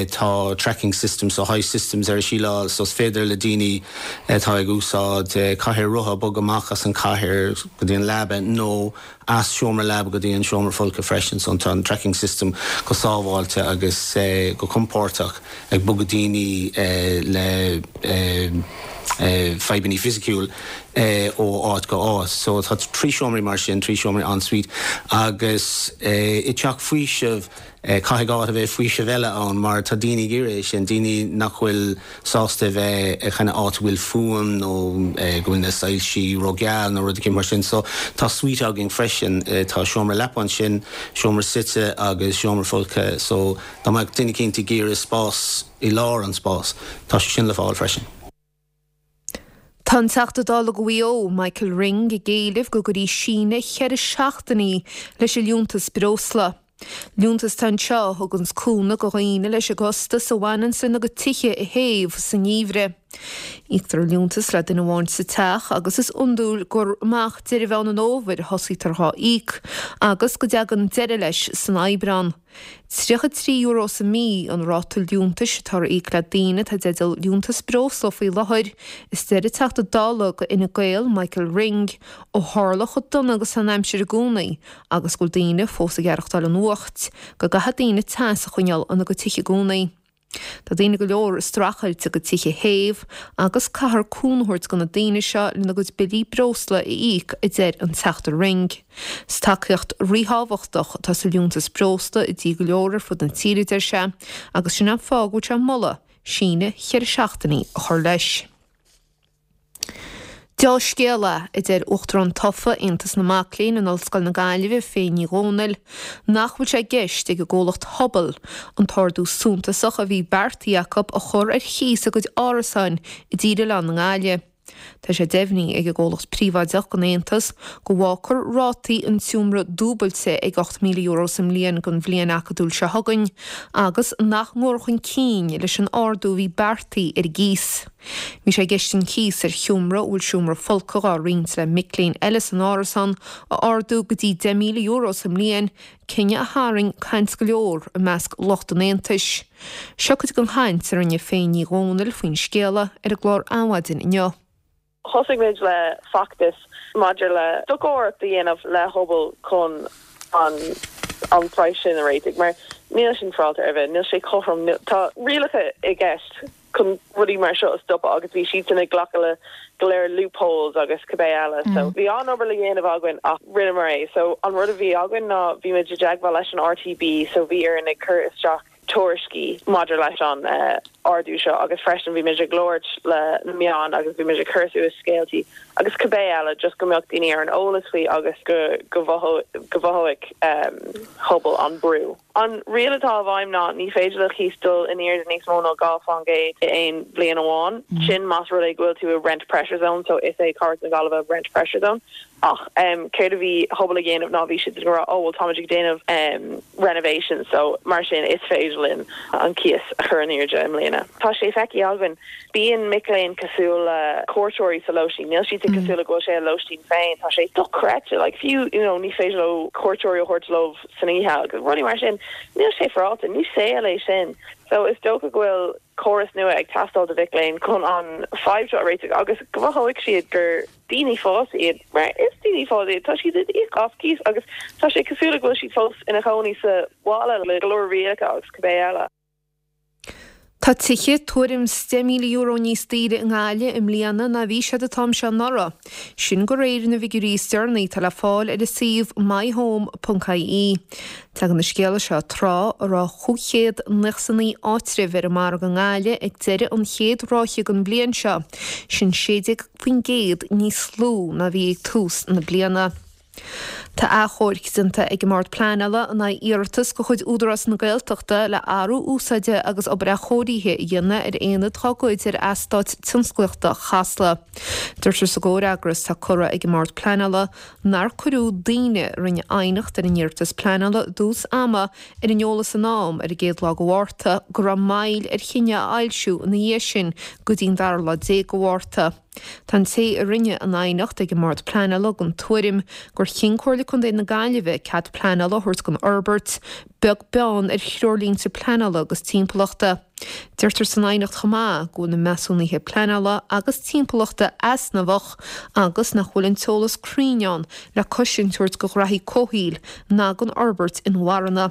Tá tracking systems so high systems ar an síleáil so is féidir le daoine atá ag úsáid cathaoir rotha bogadh amach as an chathaoir go dtí an leaba nó as seomra leaba go dtí an seomra folctha freisin so tá an tracking system go sábháilte agus go compordach ag bogadh daoine le fadhbanna fisiciúil ó áit go áit. So tá 3 seomraí mar sin, 3 seomraí en-suite agus i dteach faoisimh caithfidh áit a bheith faoisimh eile ann mar tá daoine ag iarraidh é sin, daoine nach bhfuil sásta a bheith i kind of áit a bhfuil fuaim nó go bhfuil na soilsí ró-gheal nó rud eicínt mar sin. So tá suite againn freisin, tá seomra leapa ansin, seomra suite agus seomra folctha so dá mbeadh duine eicínt ag iarraidh spás i lár an spás, tá sé sin le fáil freisin. Tá an Teachta Dála do Mhaigh Eo, Michael Ring, ag éileamh go gcuirfí síneadh cheithre seachtainí leis an liúntas breosla. Liúntas atá anseo a thuganns cúnamh do dhaoine leis an gcostas a bhaineanns lena gcuid tithe a théamh sa ngeimhreadh. Íoctar an liúntas le duine amháin sa teach agus is iondúil gur amach deireadh Mheán an Fhómhair a thosaítear dhá íoc agus go dtagann deireadh leis san Aibreán. €33 sa mí an ráta liúntais atá ar íoc le daoine atá i dteideal liúntas breosla faoi láthair, is deir an Teachta Dála do Fhine Gael, Michael Ring, ó tharla chomh dona agus tá an aimsir i gcónaí agus go bhfuil daoine fós ag aireachtáil an fhuacht, go gcaithfidh daoine teas a choinneáil ina gcuid tithe i gcónaí. Tá daoine go leor ag streachailt a gcuid tithe a théamh agus caithfear cúnamh a thabhairt do na daoine seo lena gcuid billí breosla a íoc, a deir an Teachta Ring. Is tacaíocht ríthábhachtach atá sa liúntas breosla i dtithe go leor ar fud na tíre, a deir sé, agus sin an fáth go bhfuil sé ag moladh síneadh cheithre seachtainí a chur leis. Deá-scéala, a deir Uachtarán tofa Aontas na Mac Léinn in Ollscoil na Gaillimhe, Faye Ní Dhomhnaill, nach bhfuil sé i gceist ag an gcomhlacht Hubble an t-ardú suntasach a bhí beartaithe acu a chur ar chíos a gcuid árasáin i dTír Oileáin na nGaillimhe. Tá sé deimhnithe ag an gcomhlacht príobháideach don Aontas go bhfágfar rátaí an tseomra dúbailte ag €8,000 sa mbliain don bhliain acadúil seo chugainn agus nach ngabhfar chun cinn leis an ardú a bhí beartaithe ar an gcíos. Bhí sé i gceist an cíos ar sheomra a bhfuil seomra folctha dhá roinnt le mic léinn eile san árasán a ardú go dtí €10,000 sa mbliain, cinneadh a tharraing caint go leor i measc lucht an Aontais. Seo cuid den chaint a rinne Faye Ní Dhomhnaill faoin scéala ar an gclár Adhmhaidin inniu. Thosaigh muid le feachtas maidir le stocaireacht a dhéanamh le Hubble chun an. an praghas sin a réitigh mar níl sin féaráilte ar bith, níl sé cothrom, tá rialacha i gceist chun rudaí mar seo a stopadh agus bhí siadsan ag glacadh le go leor loopholes agus cibé eile so bhí an-obair le dhéanamh againn ach rinneamar é. So an rud a bhí againn ná bhí muid i dteagmháil leis an RTB so bhí orainn ag cur isteach tuairiscí maidir leis an ardú seo agus freisin bhí muid ag labhairt le na meáin agus bhí muid ag cur suas scéaltaí agus cibé eile just go mbeadh daoine ar an eolas faoi agus go go mhothóidh pobal an brú. An riail atá i bhfeidhm ná ní féidir le cíos dul in airde níos mó ná 2 fán gcéad i aon bhliain amháin, sin más rud é go bhfuil tú i rent pressure zone, so is é Cathair na Gaillimhe rent pressure zone. Ach céard a bhí Hubble ag déanamh ná bhí siad ag rá oh well táimid ag déanamh renovations so mar sin is féidir linn an cíos a chur in airde i mbliana. Tá sé feicthe againn, bíonn mic léinn cosúil le cuairteoirí sa lóistín, níl siadsan cosúil le go bhfuil sé a lóistín féin, tá sé dochreidte, like fiú you know ní féidir leo cuairteoirí a thabhairt leo san oíche agus rudaí mar sin, níl sé féaráilte, ní saol é sin. So is dócha go bhfuil córas nua ag teastáil do mhic léinn chun an fadhb seo a réiteach agus go mothóidh siad gur daoine fásta iad, mar is daoine fásta iad, tá siad ag íoc as cíos agus tá sé cosúil le go bhfuil siad fós ina chónaí sa bhaile le go leor rialacha agus cibé eile. Tá tithe tuairim 's €10,000 níos daoire i nGaillimh i mbliana ná bhí siad an t-am seo anuraidh. Sin de réir na bhfigiúirí is deireanaí atá le fáil ar an suíomh myhome.ie. Tagann an scéala seo tráth a raibh 599 áitreabh ar an margadh i nGaillimh ag deireadh an chéad ráithe den bhliain seo, sin 16% níos lú ná bhí ag tús na bliana. Tá achomharc déanta ag an mBord Pleanála in aghaidh iarratas de chuid Údarás na Gaeltachta le athrú úsáide agus obair athchóirithe a dhéanamh ar aonad dá gcuid ar eastát tionsclaíochta Chasla. Deirtear sa gcomhfhreagras atá curtha ag an mBord Pleanála nár cuireadh daoine a rinne aighneacht ar an iarratas pleanála i dtús ama ar an eolas in am ar an gcéad lá de Mhárta go raibh moill ar chinneadh a fhoilsiú ina dhiaidh sin go dtí an dara lá déag de Mhárta. Tá an té a rinne an aighneacht ag an mBord Pleanála den tuairim gur chinn Comhairle Contae na Gaillimhe cead pleanála a thabhairt don fhorbairt, beag beann ar threoirlínte pleanála agus timpeallachta. Deirtear san aighneacht chomh maith go bhfuil na measúnuithe pleanála agus timpeallachta easnamhach agus nach bhfuil an t-eolas cruinn ann le cosaint a thabhairt do ghraithí comhshaoil ná don fhorbairt inmharthana.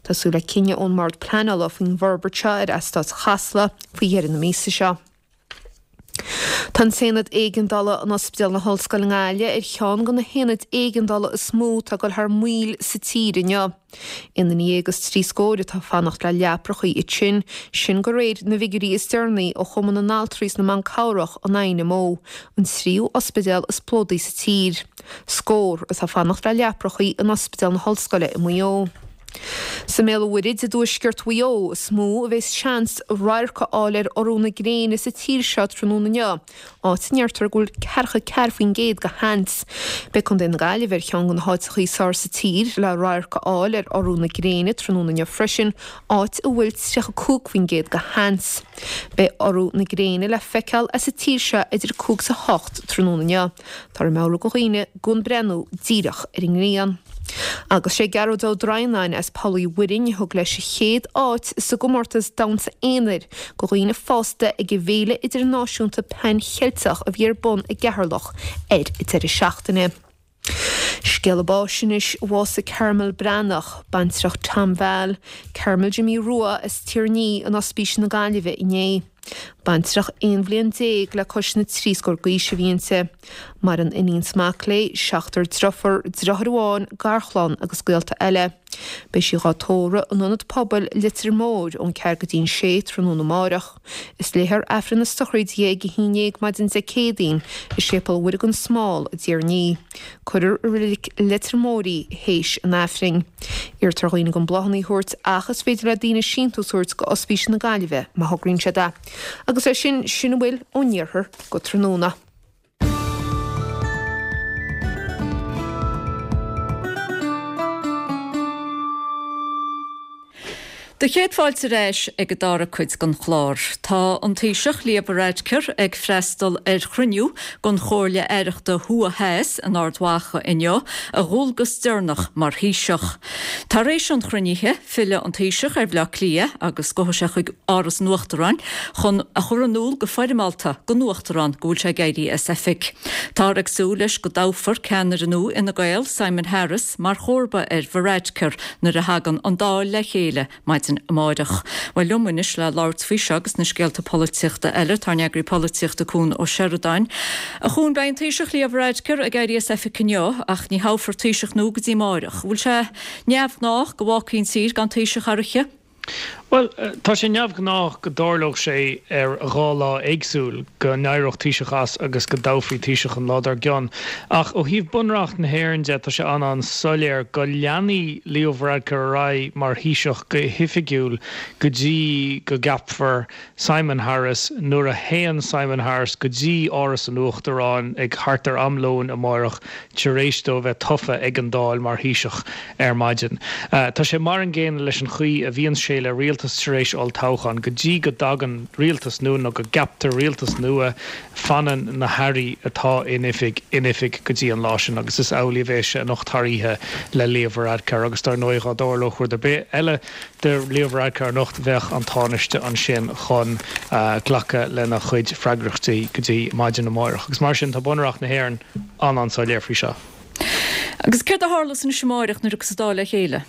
Tá súil le cinneadh ón mBord Pleanála faoin bhforbairt seo ar eastát Chasla faoi dheireadh na míosa seo. Tá an tAonad Éigeandála in Ospidéal na hOllscoile i nGaillimh ar cheann de na haonaid éigeandála is mó atá ag dul thar maoil sa tír inniu. Aon duine dhéag is trí scóir atá ag fanacht le leaprachaí ansin, sin de réir na bhfigiúirí is deireanaí ó Chumann na nAltraí is na mBan Cabhrach, an INMO, an tríú ospidéal is plódaí sa tír. Scór atá ag fanacht le leaprachaí in Ospidéal na hOllscoile i Maigh Eo. Sa mBéal an Mhuirthead i dtuaisceart Mhaigh Eo is mó a bheas seans radharc a fháil ar urú na gréine sa tír seo tráthnóna inniu, áit a ndeirtear go bhfuil 44% de sheans. Beidh Contae na Gaillimhe ar cheann de na háiteacha is fearr sa tír le radharc a fháil ar urú na gréine tráthnóna inniu freisin, áit a bhfuil 35% de sheans. Beidh urú na gréine le feiceáil as an tír seo idir 5 is 8 tráthnóna inniu. Táthar ag meabhrú do dhaoine gan breathnú díreach ar an ngrian. Agus sé Gearóid Ó Droighneáin as Poll Uí Mhuirinn a thug leis an chéad áit sa gcomórtas damhsa aonair do dhaoine fásta ag an bhFéile Idirnáisiúnta Pan Cheilteach a bhí ar bun i gCeatharlach ar an deireadh seachtaine. Scéala báis anois, bhásaigh Carmel Breathnach, baintreach Tom Val, Carmel Jimí Rua as Tír an Fhí in Ospís na Gaillimhe inné. Baintreach 11 bhliain le cois na dtrí scór d'aois a bhí inti. Maireann iníon 's mac léi, seachtar driofúr, driotháir amháin, garchlann agus gaolta eile. Beidh sí dhá tórramh in Ionad Pobail Leitir Móir ón ceathair go dtí'n sé tráthnóna amáireach. Is léifear Aifreann na sochraide di ag a haon dhéag maidin Dé Céadaoin i Séipéal Mhuire gan Smál i dTír an Fhí. Cuirfear i Reilig Leitir Móir í théis an Aifrinn. Iarrtar ar dhaoine gan bláthanna a thabhairt ach is féidir le daoine síntiús a thabhairt go Ospís na Gaillimhe má thograíonn siad é. Agus é sin, sin a bhfuil ón iarthar go tráthnóna. Do chéad fáilte ar ais ag an dara cuid den chlár. Tá an Taoiseach Leo Varadkar ag freastal ar chruinniú den Chomhairle Aireachta Thuaidh Theas in Ard Mhacha inniu, a dhualgas deireanach mar Thaoiseach. Tar éis an chruinnithe, fillfidh an Taoiseach ar Bhaile Átha Cliath agus gabhfaidh sé chuig Áras an Uachtaráin chun a chur in iúl go foirmeálta don Uachtarán go bhfuil sé ag éirí as oifig. Táthar ag súil leis go dtoghfar ceannaire nua Fhine Gael, Simon Harris, mar chomharba ar Varadkar nuair a thagann an Dáil le chéile maidin amáireach. Bhuel, liom anois le labhairt faoi seo agus na scéalta polaitíochta eile, tá ár n-eagraí polaitíochta Cuan Ó Seireadáin. A Chuain, beidh an Taoiseach Leo Varadkar ag éirí as oifig inniu ach ní thoghfar Taoiseach nua go dtí amáireach. Bhfuil sé neamhghnách go bhfágfaí an tír gan Taoiseach thar oíche? Bhuel, tá sé neamhghnách go dtarlódh sé ar dhá lá éagsúil, go n-éireodh Taoiseach as agus go dtoghfaí Taoiseach an lá dár gcionn. Ach ó thaobh Bunreacht na hÉireann de, tá sé an-an-soiléir go leanfaidh Leo Varadkar ar aghaidh mar Thaoiseach go hoifigiúil go dtí go gceapfar Simon Harris nuair a théann Simon Harris go dtí Áras an Uachtaráin ag thart ar am lóin amáireach tar éis dó a bheith tofa ag an Dáil mar Thaoiseach ar maidin. Tá sé mar an gcéanna leis an chaoi a bhíonns sé le rialtas tar éis olltoghcháin. Go dtí go dtagann rialtas nua nó go gceaptar rialtas nua, fanann na hairí atá in oifig in oifig go dtí an lá sin agus is amhlaidh a bheas sé anocht thar oíche le Leo Varadkar agus dar ndóigh dhá dtarlódh rud ar bith eile do Leo Varadkar anocht, bheadh an Tánaiste ansin chun glacadh lena chuid freagrachtaí go dtí maidin amáireach. Agus mar sin, tá Bunreacht na hÉireann an-an-soiléir faoi seo. Agus céard a tharlós anois amáireach nuair a thiocfas an Dáil le chéile?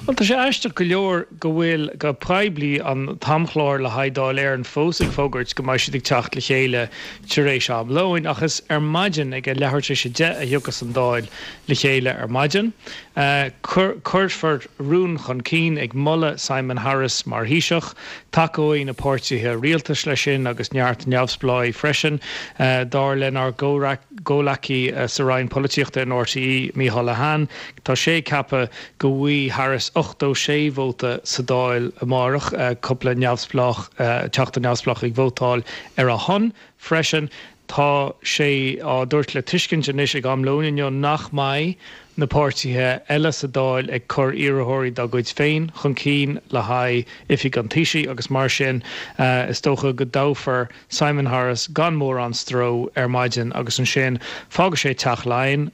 Bhuel, tá sé aisteach go leor go bhfuil, go poiblí, an t-amchlár le haghaidh Dáil Éireann fós ag fógairt go mbeidh siad ag teacht le chéile tar éis am lóin, ach is ar maidin ag a leathuair tar éis a deich a thiocfas an Dáil le chéile ar maidin. Cuirfear rún chun cinn ag moladh Simon Harris mar Thaoiseach. Tacóidh na páirtithe rialtais leis sin agus neart neamhspleáigh freisin, dar lenár gcomhleacaí sa Roinn Polaitíochta in RTÉ, Micheál Lehane. Tá sé ag ceapadh go bhfaighidh Harris 86 vóta sa Dáil amárach, cúpla neamhspleách, teachta neamhspleách ag vótáil ar a shon freisin. Tá sé á dtabhairt le tuiscint anois ag am lóin inniu nach mbeidh na páirtithe eile sa Dáil ag cur iarrthóirí dá gcuid féin chun cinn le haghaidh oifig an Taoisigh agus mar sin is dócha go dtoghfar Simon Harris gan mórán stró ar maidin agus ansin fágfaidh sé Teach Laighean.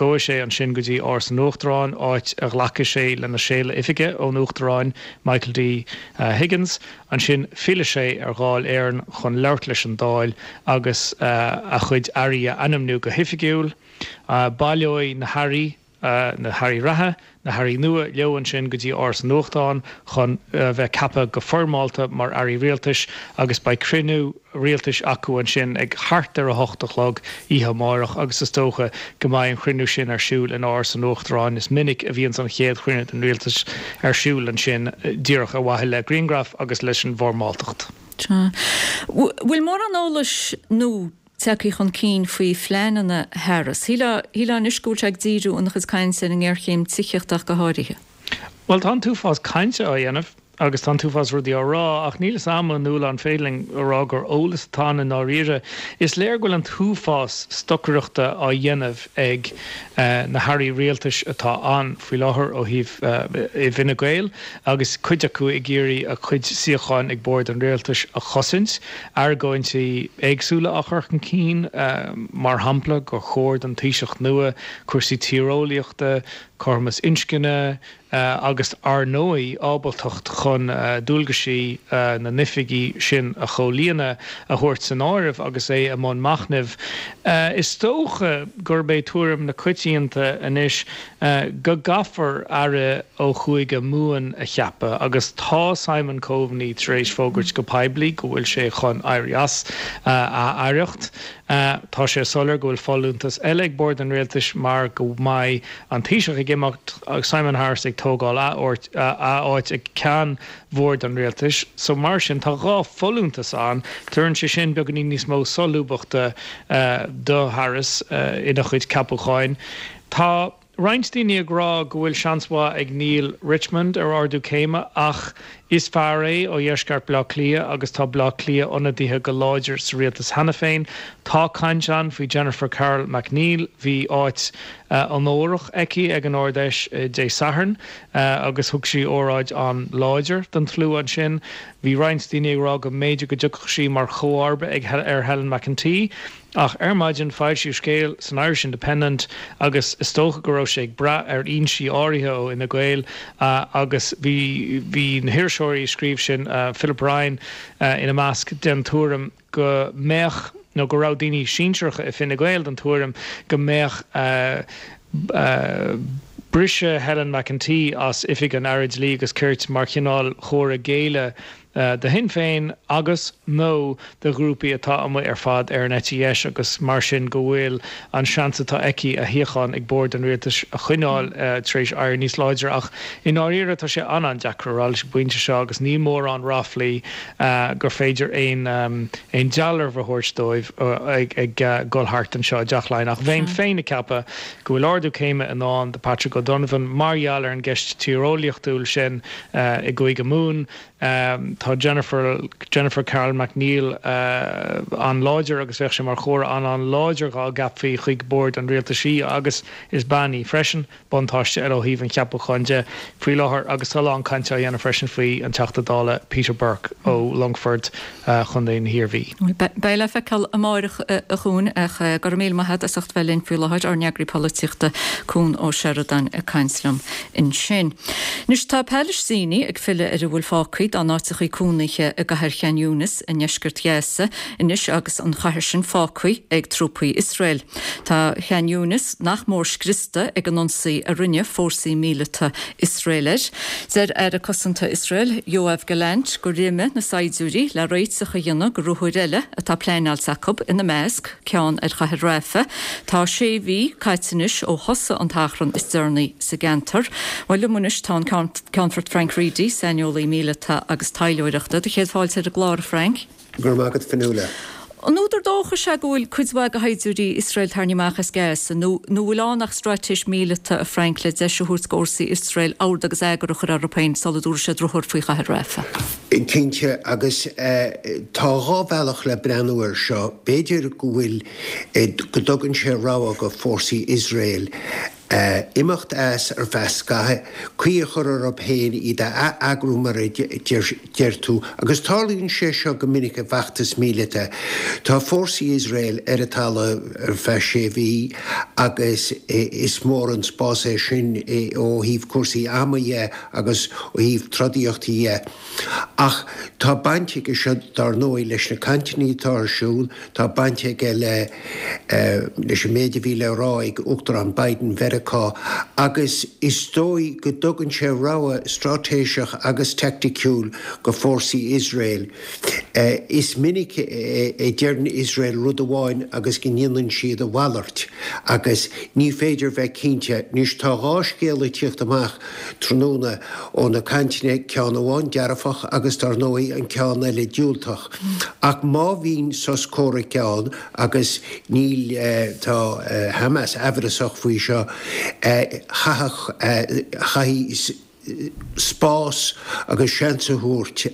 Gabhfaidh sé ansin go dtí Áras an Uachtaráin, áit a ghlacfaidh sé lena séala oifige ón Uachtarán Michael D Higgins. Ansin fillfidh sé ar Dháil Éireann chun labhairt leis an Dáil agus a chuid airí a ainmniú go hoifigiúil. Baileoidh na hairí, na hairí reatha, na hairí nua leo ansin go dtí Áras an Uachtaráin chun bheith ceaptha go foirmeálta mar airí rialtais agus beidh cruinniú rialtais acu ansin ag thart ar 8 a chlog oíche amárach agus is dócha go mbeidh an chruinniú sin ar siúl in Áras an Uachtaráin. Is minic a bhíonns an chéad chruinniú den rialtas ar siúl ansin díreach ar mhaithe le grianghraif agus leis an bhfoirmeáltacht. Bhfuil mórán eolais nua tagtha chun cinn faoi phleananna Harris? Shílfeá anois go bhfuil sé ag díriú ina chuid cainte ar an ngéarchéim tithíochta ach go háirithe. Bhuel, tá an t-uafás cainte á dhéanamh agus tá an t-uafás rudaí á rá, ach níl 'fhios a'm a Nuala an féidir linn a rá gur eolas atá ann i ndáiríre. Is léir go bhfuil an t-uafás stocaireachta á dhéanamh ag na hairí rialtais atá ann faoi láthair ó thaobh i bhFine Gael agus cuid acu ag iarraidh a gcuid suíocháin ag bord an rialtais a chosaint, argóintí éagsúla á chur chun cinn, mar shampla gur chóir don Taoiseach nua cúrsaí tíreolaíochta, cothromas inscne, agus ar ndóigh ábaltacht chun dualgaisí na n-oifigí sin a chomhlíonadh a thabhairt san áireamh agus é i mbun machnaimh. Is dócha gurb é tuairim na coitianta anois go gcaithfear aire ó Chúige Mumhan a cheapadh agus tá Simon Coveney tar éis fógairt go poiblí go bhfuil sé chun éirí as a aireacht. Tá sé soiléir go bhfuil folúntas eile ag bord an rialtais mar go mbeidh an Taoiseach ag imeacht agus Simon Harris ag tógáil a áit ag ceann bhord an rialtais. So mar sin tá 2 folúntas ann. Tabharann sé sin beagáinín níos mó solúbthachta do Harris ina chuid ceapúcháin. Tá roinnt daoine ag rá go bhfuil seans mhaith ag Neale Richmond ar ardú céime ach. Is fear é ó dheisceart Bhaile Átha Cliath agus tá Baile Átha Cliath ionadaithe go láidir sa rialtas cheana féin. Tá caint ann faoi Jennifer Carroll MacNeill. Bhí áit onórach aici ag an Ard-Fheis Dé Sathairn agus thug sí óráid an-láidir don tslua ansin. Bhí roinnt daoine ag rá go mb'fhéidir go dtiocfadh sí mar chomharba ar Helen McEntee. Ach ar maidin foilsíodh scéal san Irish Independent agus is dócha go raibh sé ag brath ar fhoinsí áirithe ó Fhine Gael agus bhí bhí na hiriseoirí a scríobh sin, Philip Ryan ina measc, den tuairim go mbeadh nó go raibh daoine sinsearacha i Fine Gael den tuairim go mbeadh briseadh Helen McEntee as oifig an Aire Dlí agus Cirt mar chineál chomhartha géilleadh do Shinn Féin agus, nó do ghrúpaí atá amuigh ar fad ar an eite dheis agus mar sin go bhfuil an seans atá aici a shuíochán ag bord an rialtais a choinneáil tar éis éirí níos láidre. Ach i ndáiríre tá sé an-an-deacair a rá leis an bpointe seo agus níl mórán ráflaí gur féidir aon aon dealramh a thabhairt dóibh ag dul thart anseo i dTeach Laighean. Ach bheinn féin ag ceapadh go bhfuil ardú céime i ndán do Patrick O'Donovan mar gheall ar an gceist tíreolaíochtúil sin i gCúige Mumhan. Tá Jennifer Jennifer Carroll MacNeill an-láidir agus bheadh sé mar chomhartha an-an-láidir dhá gceapfaí chuig bord an rialtais í agus is bean í freisin, buntáiste eile ó thaobh an cheapúcháin de faoi láthair agus tá a lán cainte á dhéanamh freisin faoi an Teachta Dála Peter Burke ó Longfort, Chontae na hIarmhí. Beidh le feiceáil amáireach a Chuain ach go raibh míle maith agat as ucht bheith linn faoi láthair, ár n-eagraí polaitíochta Cuan Ó Seireadáin ag caint liom ansin. Anois tá Palaistínigh ag filleadh ar a bhfuil fágtha dá n-áiteachaí cónaithe i gcathair Chan Yunis i ndeisceart Ghaza anois agus an chathair sin fágtha ag trúpaí Iosrael. Tá Chan Yunis nach mór scriosta ag an ionsaí a rinne fórsaí míleata Iosrael air. Deir Aire Cosanta Iosrael, Yoav Gallant, gur imigh na saighdiúirí le réiteach a dhéanamh go ruathair eile atá pleanáilte acu, ina measc, ceann ar chathair Rafah. Tá sé mhí caite anois ó thosaigh an t-achrann is deireanaí sa gceantar. Bhuel, liom anois tá an Ceannfort Frank Reidy, saineolaí míleata agus taidhleoireachta. Do chéad fáilte ar an gclár, a Frank. Go raibh maith agat, Fionnuala. An údar dóchais é go bhfuil cuid mhaith de shaighdiúirí Iosrael tarraingthe amach as Gaza, nó nó bhfuil ann ach straitéis míleata, a Frank, le deis a thabhairt do fhórsaí Iosrael ord agus eagar a chur orthu féin sula dtabharfaidh siad ruathar faoi chathair Rafah? Cinnte, agus tá dhá bhealach le breathnú air seo. B'fhéidir go bhfuil, go dtugann sé rogha go fórsaí Iosrael imeacht as ar feadh scaithimh, caoi a chur orthu féin, iad a ath-eagrú mar a deir tú, agus tarlaíonn sé seo go minic i bhfeachtas míleata. Tá fórsaí Iosrael ar an talamh ar feadh sé mhí agus is mór an spás é sin ó thaobh cúrsaí ama dhe agus ó thaobh trodaíochta dhe. Ach tá baint aige seo dar ndóigh leis na cainteanna atá ar siúl, Tá baint aige le leis an méid a bhí le rá ag Uachtarán Biden Mheiriceá agus is dóigh go dtugann sé rogha straitéiseach agus teaicticiúil go fórsaí Iosrael. Is minic a deireann Iosrael rud amháin agus go ndéanann siad a mhalairt agus ní féidir bheith cinnte. Anois tá dhá scéal ag tíocht amach tráthnóna ó na cainteanna, ceann amháin dearfach agus dar ndóigh an ceann eile diúltach. Ach má bhíonn sos comhraic ann, agus níl, tá Hamas aimhreasach faoi seo, chaithfeadh, chaithfidh spás agus seans a thabhairt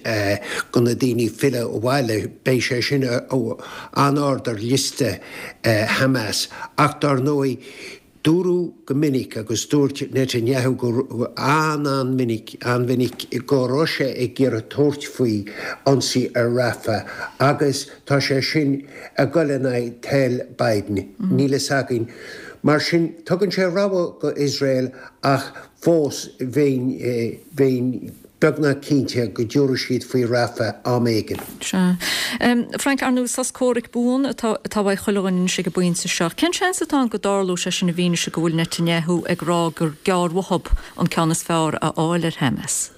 go na daoine filleadh abhaile, beidh sé sin an-ard ar liosta Hamas. Ach dar ndóigh, Dúradh go minic, agus dúirt Netanyahu go an-an-mhinic, an-mhinic, go raibh sé ag iarraidh tabhairt faoi ionsaí ar Rafah agus tá sé sin ag dul in aghaidh toil Biden. Níl fhios againn. Mar sin, tugann sé rogha go Iosrael ach fós bheinn, bheinn. beagnach cinnte go dtabharfaidh siad faoi Rafah am éigin. Sea. Frank, ar ndóigh, sos comhraic buan atá atá uaidh chuile dhuine anois ag an bpointe seo. Cén seans atá ann go dtarlódh sé sin i bhfianaise go bhfuil Netanyahu ag rá gur gearr uathub an ceann is fearr a fháil ar Hamas?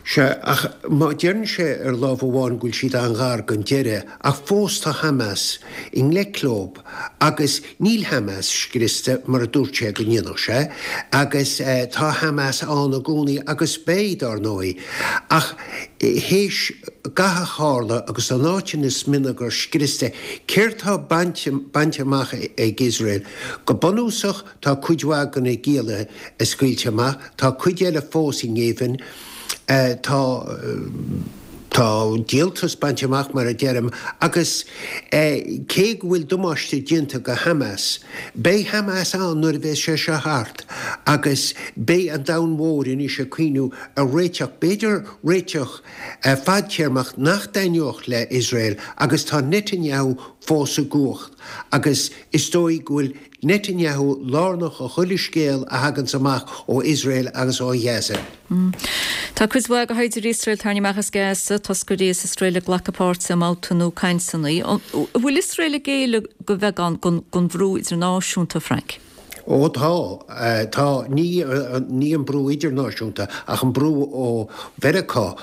Sea, ach má deireann sé ar lámh amháin go bhfuil siad an-ghar don deireadh, ach fós tá Hamas i ngleic leob. Agus níl Hamas scriosta, mar a dúirt sé go ndéanfadh sé, agus tá Hamas ann i gcónaí agus beidh, dár ndóigh. Ach théis gach a tharla agus an áit ina smionagar scriosta, céard tá bainte amach ag Iosrael? Go bunúsach, tá cuid mhaith de na giallaithe scaoilte amach, tá cuid eile fós i ngéibheann. Tá tá díoltas bainte amach, mar a deirim, agus cé go bhfuil damáiste déanta go Hamas, beidh Hamas ann nuair a bheas sé seo thart agus beidh an domhan mhór anois ag cuimhniú ar réiteach, b'fhéidir réiteach fadtéarmach nach dtaitneodh le Iosrael agus tá Netanyahu fós i gcumhacht agus is dóigh go bhfuil Netanyahu lárnach i chuile scéal a thaganns amach ó Iosrael agus ó Ghaza. Tá cuid mhaith de shaighdiúirí Iosrael tarraingthe amach as Gaza, toscairí as Iosrael ag glacadh páirte i mbabhta nua cainteanna. An bhfuil Iosrael ag géilleadh de bheagán don bhrú idirnáisiúnta, Frank? Ó tá. Tá. Ní ní an brú idirnáisiúnta ach an brú ó Mheiriceá.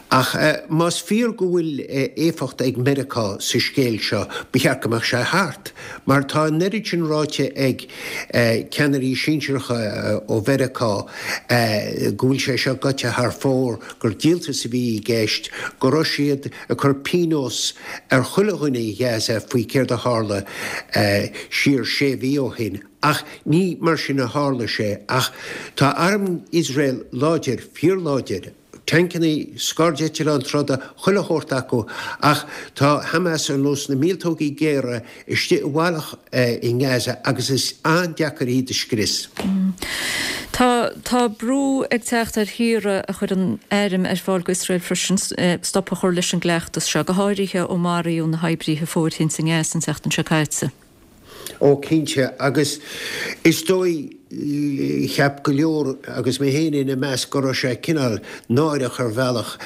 Ach más fíor go bhfuil éifeacht ag Meiriceá sa scéal seo, ba cheart go mbeadh sé thart. Mar tá an oiread sin ráite ag ceannairí sinsearacha ó Mheiriceá go bhfuil sé seo gaibhte thar fóir, gur díoltas a bhí i gceist, go raibh siad ag cur pionós ar chuile dhuine i Gaza faoi céard a tharla siar sé mhí ó shin. Ach ní mar sin a tharla sé. Ach tá arm Iosrael láidir, fíorláidir. Tancannaí, scairdeitleáin troda, chuile shórt acu, ach tá Hamas ar nós na míoltógaí géara istigh i bhfalach i nGaza agus is an-deacair iad a scrios. Tá tá brú ag teacht ar thíortha a chuireann airm ar fáil go Iosrael freisin stop a chur leis an gcleachtas seo, go háirithe ó maraíodh na hoibrithe fóirithinte i nGaza an tseachtain seo caite. Ó cinnte, agus is dóigh, cheap go leor, agus mé féin ina measc, go raibh sé cineál náireach ar bhealach,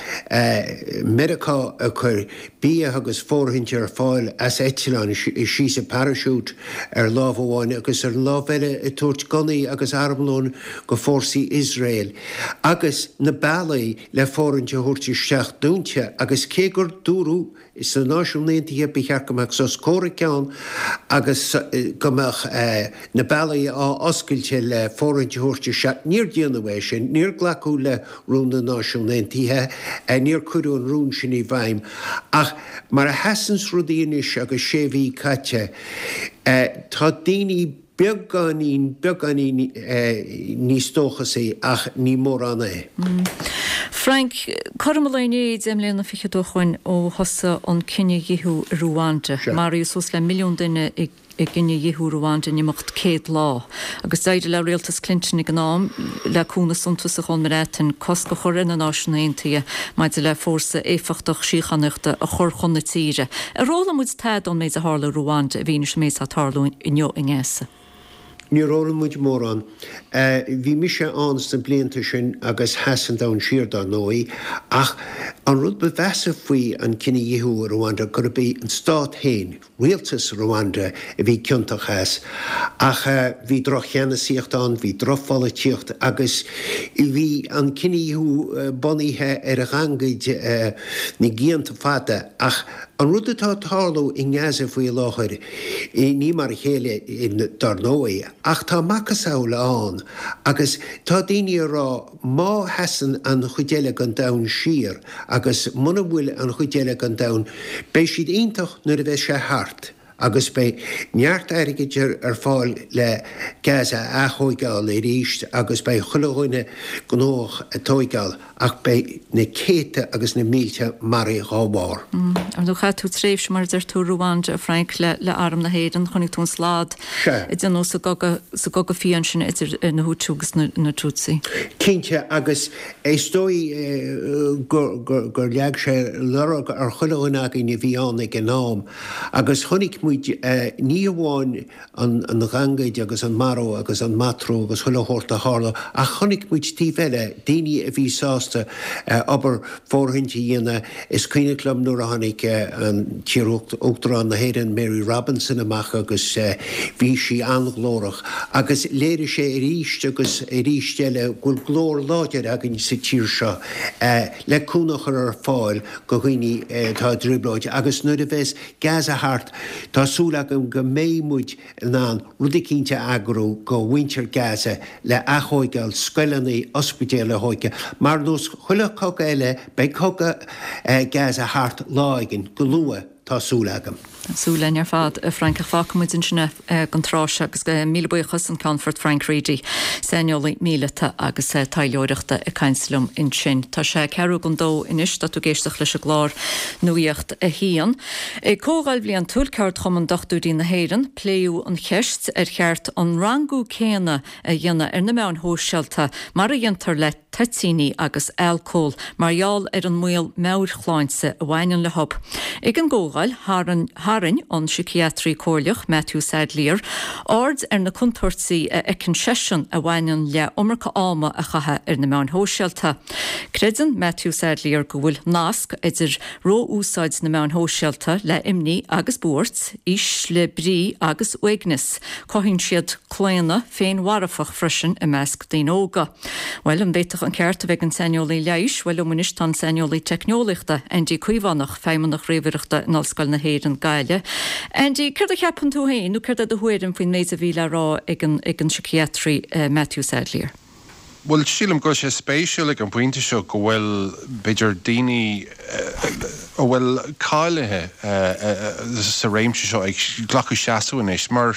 Meiriceá ag cur bia agus fóirithint ar fáil as eitleán síos i parachute ar lámh amháin agus ar an lámh eile ag tabhairt gunnaí agus armlón go fórsaí Iosrael agus na bealaí le fóirithint a thabhairt isteach dúnta agus cé gur dúradh Sna Náisiúin Aontaithe ba cheart go mbeadh sos comhraic ann agus go mbeadh na bealaí á oscailt le fóirithint a thabhairt isteach. Níor déanadh é sin. Níor glacadh le rún na Náisiún Aontaithe. Níor cuireadh an rún sin i bhfeidhm. Ach mar a sheasanns rudaí anois agus sé mhí caite, tá daoine beagáinín, beagáinín níos dóchasaí ach ní mórán é. Frank, cothrom an lae inné, 10 mbliana fichead ó shoin ó thosaigh an cinedhíothú i Ruanda. Maraíodh suas le milliún duine i gcinedhíothú Ruanda in imeacht 100 lá. Agus d'éirigh le rialtas Clinton ag an am, le cúnamh suntasach ón mBreatain, cosc a chur ar na Náisiúin Aontaithe maidir le fórsa éifeachtach síochánaíochta a chur chun na tíre. Ar fhoghlaim muid tada ón méid a tharla i Ruanda i bhfianaise an méid atá ag tarlú inniu i nGaza? Níor fhoghlaim muid mórán. Bhí mise ann sna blianta sin agus sheas an domhan siar dar ndóigh, ach an rud ba mheasa faoi an cinedhíothú i Ruanda gurb é an stát féin, rialtas Rwanda a bhí ciontach as. Ach bhí droch-cheannasaíocht ann, bhí drochpholaitíocht agus bhí an cinedhíothú bunaithe ar ghangaid na gcianta fada. Ach an rud atá ag tarlú i nGaza faoi láthair, ní mar a chéile dar ndóigh, ach tá macasamhail ann agus tá daoine ag rá má sheasann an chuid eile den domhan siar agus muna bhfuil an chuid eile den domhan, beidh siad iontach nuair a bheas sé thart agus beidh neart airgid ar fáil le Gaza a aththóigeáil arís agus beidh chuile dhuine gnóthach ag tóigeáil ach beidh na céadta agus na mílte maraithe dhá bharr. Ar ndóigh chaith tú tréimhse mar a deir tú i Ruanda, a Frank, le Arm na hÉireann, chonaic tú an slad a déanadh sa gcogadh, sa gcogadh fiáin sin idir na Hutu agus na Tutsi. Cinnte, agus is dóigh gur leag sé lorg ar chuile dhuine againn a bhí ann ag an am. Agus chonaic muid ní hamháin an ghangaid agus an marú agus an matrú agus chuile shórt a tharla ach chonaic muid taobh eile, daoine a bhí sásta obair fóirithint a dhéanamh. Is cuimhneach liom nuair a tháinig an t-iar-Uachtarán na hÉireann Mary Robinson amach agus bhí sí an-ghlórach agus léirigh sé arís agus arís eile go bhfuil glór láidir againn sa tír seo le cúnamh a chur ar fáil go dhaoine atá i dtrioblóid agus nuair a bheas Gaza thart tá súil agam go mbeidh muid in ann rud eicínt a eagrú go mhuintir Gaza le aththóigeáil scoileanna, ospidéil a thóigeáil. Mar nós chuile chogadh eile beidh cogadh Gaza thart lá éigin, go luath. Tá súil agam. Tá súil againn ar fad, a Frank, ach fágfaidh muid ansin é don tráth seo agus míle buíochas an Ceannfort Frank Reidy, saineolaí míleata agus taidhleoireachta ag caint liom ansin. Tá sé ceathrú don dó anois, tá tú ag éisteacht leis an gclár Nuacht a hAon. Ag Comhdháil Bhliantúil Ceardchumann Dochtúirí na hÉireann, pléadh an cheist ar cheart an rangú céanna a dhéanamh ar na meáin shóisialta mar a dhéantar le toitíní agus alcól mar gheall ar an mbaol meabhairshláinte a bhaineann leo. Ag an gcomhdháil, tharraing an síciatraí comhairleach Matthew Sadlier aird ar na contúirtí a fheiceann seisean a bhaineann le iomarca ama a chaitheamh ar na meáin shóisialta. Creideann Matthew Sadlier go bhfuil nasc idir ró-úsáid na meáin shóisialta le imní agus buairt, ísle brí agus uaigneas. Cothaíonn siad claonadh féinmharfach freisin i measc daoine óga. Bhuel, an bhféadfadh an ceart a bheith ag an saineolaí leighis? Bhuel, liom anois tá an saineolaí teicneolaíochta, Andy Caomhánach, Feidhmeannach Ríomhaireachta in Ollscoil na hÉireann, Gaillimh. Andy, céard a cheapann tú féin, nó céard é do thuairim faoin méid a bhí le rá ag an ag an síciatraí Matthew Sadlier? Bhuel, sílim go bhfuil sé spéisiúil ag an bpointe seo go bhfuil, b'fhéidir, daoine a bhfuil cáilithe sa réimse seo ag glacadh seasamh anois, mar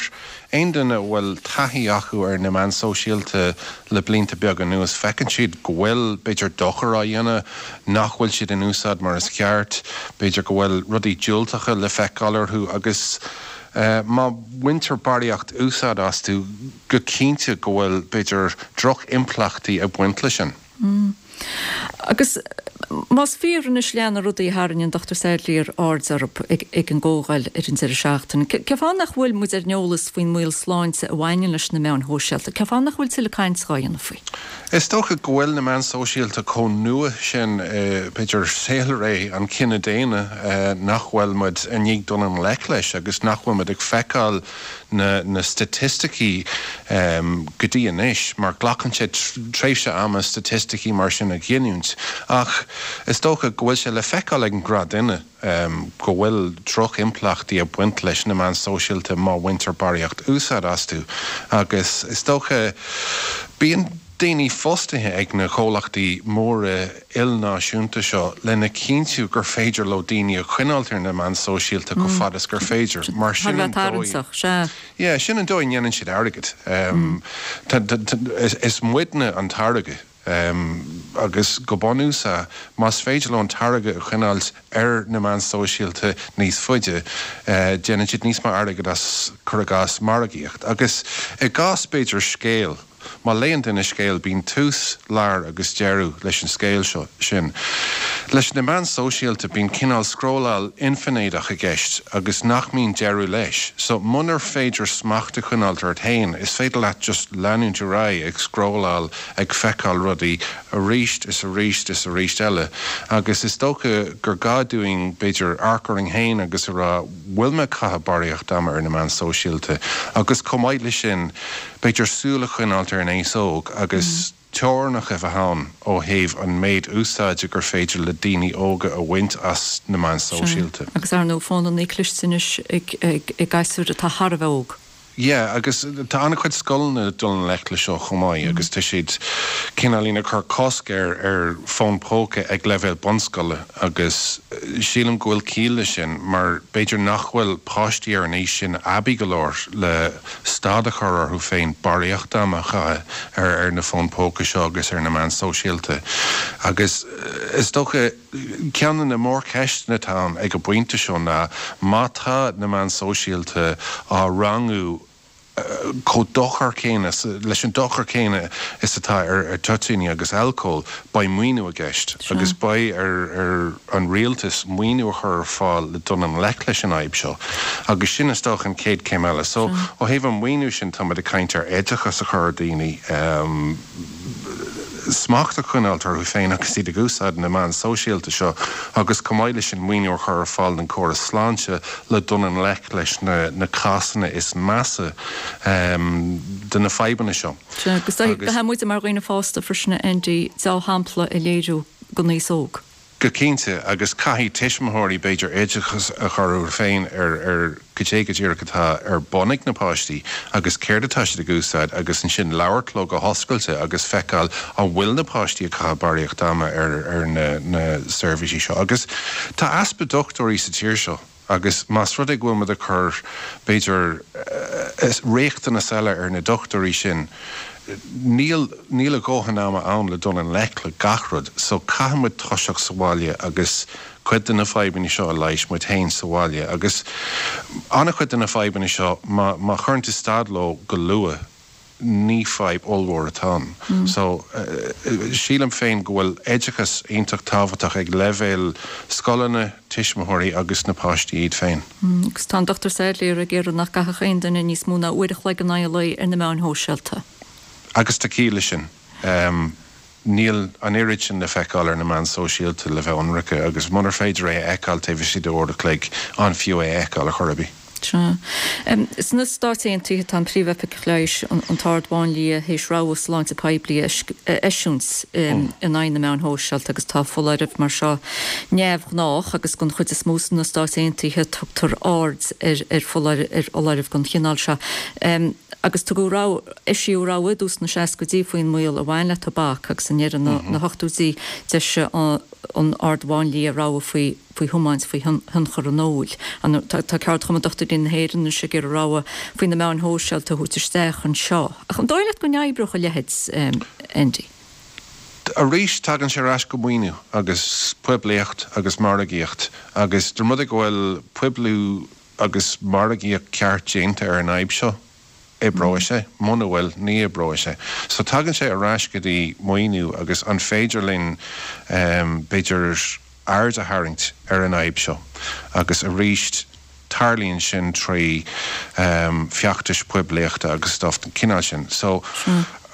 aon duine a bhfuil taithí acu ar na meáin sóisialta le blianta beaga anuas, feiceann siad go bhfuil, b'fhéidir, dochar á dhéanamh, nach bhfuil siad in úsáid mar is ceart, b'fhéidir go bhfuil rudaí diúltacha le feiceáil orthu agus má bhaintear barraíocht úsáid astu, go cinnte go bhfuil, b'fhéidir, droch-impleachtaí ag baint leis sin. Agus más fíor anois leath na rudaí a tharraing an Dr Sadlier aird orthu ag an gcomhdháil ar an deireadh seachtaine, cén fáth nach bhfuil muid ar an eolas faoin mbaol sláinte a bhaineann leis na meáin shóisialta? Cén fáth nach bhfuil tuilleadh cainte á dhéanamh faoi? Is dócha go bhfuil na meáin sóisialta chomh nua sin i, b'fhéidir, saolré an chine daonna nach bhfuil muid i ndiaidh dul i ngleic leis agus nach bhfuil muid ag feiceáil na na staitisticí go dtí anois, mar glacann sé tréimhse ama staitisticí mar sin a ghiniúint, ach is dócha go bhfuil sé le feiceáil ag an ngnáthdhuine go bhfuil droch-impleachtaí ag baint leis na meáin sóisialta má bhaintear barraíocht úsáid astu agus is dócha bíonn daoine fostaithe ag na comhlachtaí móra ilnáisiúnta seo lena chinntiú gur féidir leo daoine a choinneáilt ar na meáin sóisialta chomh fada is gur féidir, mar sin an dóigh, yeah, sin an dóigh a ndéanann siad airgead. Is muidne an táirge agus go bunúsach más féidir leo an táirge a choinneáilt ar na meáin sóisialta níos faide, déanann siad níos mó airgid as, cuir i gcás, margaíocht. Agus i gcás, b'fhéidir, scéal. Má léann duine scéal, bíonn tús, lár agus deireadh leis an scéal seo, sin. Leis na meáin sóisialta, bíonn cineál scrolláil infinéideach i gceist agus nach mbíonn deireadh leis. So, munar féidir smacht a choinneáilt ort féin, is féidir leat just leanúint ar aghaidh ag scrolláil, ag feiceáil rudaí arís is arís is arís eile. Agus is dócha gur gá dúinn, b'fhéidir, amharc orainn féin agus a rá, bhfuil mé ag caitheamh barraíocht ama ar na meáin sóisialta? Agus chomh maith leis sin, b'fhéidir súil a choinneáilt ar an aos óg agus teorainneacha a bheith ann ó thaobh an méid úsáide gur féidir le daoine óga a bhaint as na meáin sóisialta. Agus ar ndóigh fónanna cliste anois ag gasúir atá thar a bheith óg. Yeah, agus tá an-chuid scoileanna ag dul i ngleic leis seo chomh maith agus tá siad cineáilín ag cur cosc ar ar fón póca ag leibhéal bunscoile agus sílim go bhfuil ciall leis sin mar b'fhéidir nach bhfuil páistí ar an aois sin aibí go leor le stad a chur orthu féin barraíocht ama a chaitheamh ar ar na fóin póca seo agus ar na meáin sóisialta. Agus is dócha, ceann de na mórcheisteanna atá ann ag an bpointe seo ná má tá na meáin sóisialta á rangú chomh dochar céanna, leis an dochar céanna is atá ar toitíní agus alcól, beidh maoiniú i gceist agus beidh ar an rialtas maoiniú a chur ar fáil le dul i ngleic leis an fhadhb seo agus sin is dócha an chéad chéim eile. So ó thaobh an mhaoiniú sin tá muid ag caint ar oideachas a chur ar dhaoine, smacht a choinneáilt orthu féin agus iad ag úsáid na meán sóisialta seo agus chomh maith leis sin maoiniú a chur ar fáil don chóras sláinte le dul i ngleic leis na cásanna is measa de na fadhbanna seo. Sea, agus caithfidh muide mar dhaoine fásta freisin, a Andy, deá-shampla a léiriú don aos óg. Go cinnte, agus caithfidh tuismitheoirí, b'fhéidir, oideachas a chur orthu féin ar ar goidé go díreach atá ar bun ag na páistí agus céard atá siad ag úsáid agus ansin labhairt leo go hoscailte agus feiceáil an bhfuil na páistí ag caitheamh barraíocht ama ar ar na na seirbhísí seo. Agus tá easpa dochtúirí sa tír seo. Agus más rud é go bhfuil muid ag cur, b'fhéidir, riachtanas eile ar na dochtúirí sin, níl, níl a dhóthain ama ann le dul i ngleic le gach rud. So caithfidh muid toiseacht sa bhaile agus cuid de na fadhbanna seo a leigheas muid féin sa bhaile. Agus an-chuid de na fadhbanna seo, má, má chuireann tú stad leo go luath, ní fadhb ollmhór atá ann. So, sílim féin go bhfuil oideachas iontach tábhachtach ag leibhéal scoileanna, tuismitheoirí agus na páistí iad féin. Agus tá an Dr Sadlier ag iarraidh nach gcaithfeadh aon duine níos mó ná uair a chloig in aghaidh an lae ar na meáin shóisialta. Agus tá ciall leis sin. Níl an oiread sin le feiceáil ar na meáin sóisialta le bheith ionraice agus munar féidir é a fheiceáil taobh istigh de uair a chloig, an fiú é a fheiceáil ar chor ar bith? Sea. Sna Stáit Aontaithe tá an Príomh-Oifigeach Leighis, an tArd-Mháinlia, théis rabhadh sláinte poiblí a eisiúint in aghaidh na meáin shóisialta agus tá foláireamh mar seo neamhghnách agus den chuid is mó sna Stáit Aontaithe tugtar aird ar fholáirimh den chineál seo. Agus tugadh rabhadh. Eisíodh rabhadh i dtús na seascaidí faoin mbaol a bhain le tobac agus i ndeireadh na hochtóidí d'eisigh an Ard-Mháinlia rabhadh faoi faoi thiomáint faoi thionchar an óil. Tá Ceardchumann Dochtúirí na hÉireann anois ag iarraidh rabhadh faoi na meáin shóisialta a thabhairt isteach anseo. Ach an dóigh leat go n-oibreodh a leithéid, Andy? Arís, tagann sé ar ais go maoiniú agus poiblíocht agus margaíocht agus dá mba rud é go bhfuil poibliú agus margaíocht ceart déanta ar an fhadhb seo, oibreoidh sé, muna bhfuil, ní oibreoidh sé. So tagann sé ar ais go dtí maoiniú agus an féidir linn b'fhéidir aird a tharraingt ar an fhadhb seo agus arís tarlaíonn sin trí feachtais poiblíochta agus stuff den chineál sin. So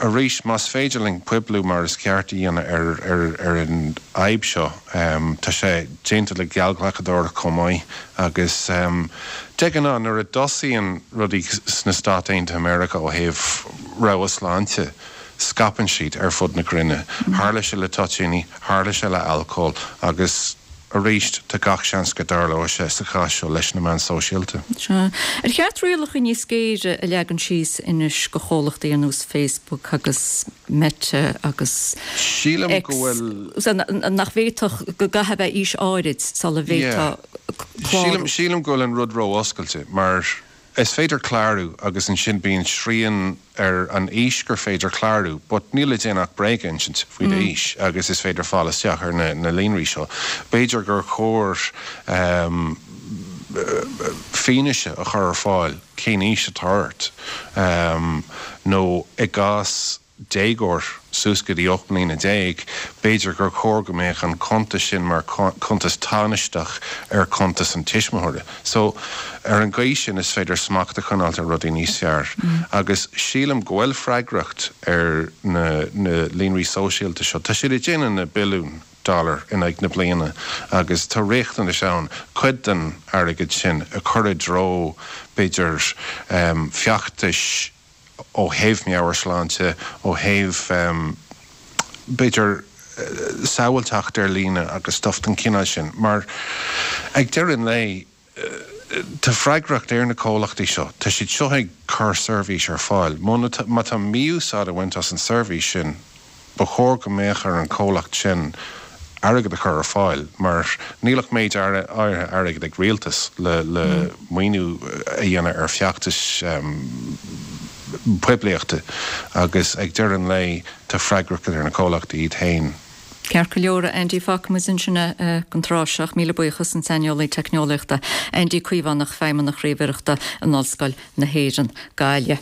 arís más féidir linn poibliú mar is ceart a dhéanamh ar ar an fhadhb seo, tá sé déanta le geallghlacadóireacht chomh maith agus De ghnáth, nuair a dtosaíonn rudaí sna Stáit Aontaithe Meiriceá ó thaobh rabhadh sláinte, scaipeann siad ar fud na cruinne. Tharla sé le toitíní, tharla sé le alcól agus arís tá gach seans go dtarlóidh sé sa chás seo leis na meáin sóisialta. Sea. Ar cheart rialacha níos géire a leagan síos anois do chomhlachtaí ar nós Facebook agus Meta agus Sílim X go bhfuil. nach bhféadfadh, go gcaithfidh a bheith aois áirid sula bhféadfá clárú. Sílim go bhfuil an rud ró-oscailte mar is féidir clárú agus ansin bíonn srian ar an aois gur féidir clárú but níl le déanamh ach bréag a insint faoi d'aois agus is féidir fáil isteach ar na líonraí seo. B'fhéidir gur chóir fianaise a chur ar fáil cén aois atá ort nó i gcás déagóir suas go dtí 18 mbliana, b'fhéidir gur chóir go mbeadh an cuntas sin mar chuntas tánaisteach ar chuntas an tuismitheora. So, ar an gcaoi sin is féidir smacht a choinneáilt ar rudaí níos fearr. Agus sílim go bhfuil freagracht ar na na líonraí sóisialta seo. Tá siad ag déanamh na billiúin dollar in aghaidh na bliana agus tá riachtanais ann cuid den airgead sin a chur i dtreo, b'fhéidir, feachtais, ó thaobh meabhairshláinte, ó thaobh, b'fhéidir, sábháilteacht ar líne agus stuff den chineál sin. Mar ag deireadh an lae, tá freagracht ar na comhlachtaí seo. Tá siad seo ag cur seirbhís ar fáil. Má tá mí-úsáid á bhaint as an seirbhís sin, Ba chóir go mbeadh ar an chomhlacht sin airgead a chur ar fáil mar níl ach méid áirithe airgid ag rialtas le maoiniú a dhéanamh ar feachtais poiblíochta agus ag deireadh an lae tá freagracht ar na comhlachtaí iad féin. Ceart go leor, a Andy, fágfaimid ansin é don tráth seo ach míle buíochas, an saineolaí teicneolaíochta Andy Caomhánach, Feidhmeannach Ríomhaireachta in Ollscoil na hÉireann, Gaillimh.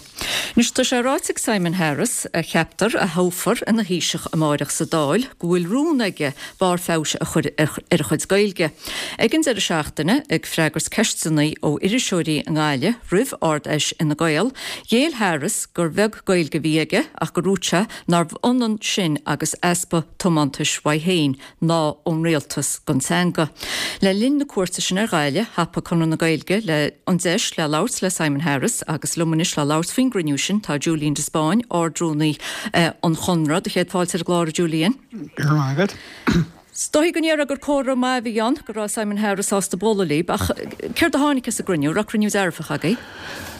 Anois, tá sé ráite ag Simon Harris, a cheaptar a thoghfar ina Thaoiseach amáireach sa Dáil, go bhfuil rún aige barr feabhais a chur ar a chuid Gaeilge. Ag an deireadh seachtaine, ag freagairt ceisteanna ó iriseoirí i nGaillimh roimh Ard-Fheis Fhine Gael, ghéill Harris gur bheag Gaeilge a bhí aige ach gur dhúirt sé nárbh ionann sin agus easpa tiomantais uaidh féin. ná ón rialtas don teanga. Le linn na cuairte sin ar Ghaillimh, thapaigh Conradh na Gaeilge le an deis le labhairt le Simon Harris agus liom anois le labhairt faoin gcruinniú sin tá Julian de Spáinn, Ard-Rúnaí an Chonradh. Do chéad fáilte ar an gclár, a Julian. Go raibh maith agat. Is dóigh go ndéarfá gur comhartha maith a bhí ann go raibh Simon Harris sásta bualadh libh, ach céard a tháinig as an gcruinniú? Raibh cruinniú dearfach agaibh?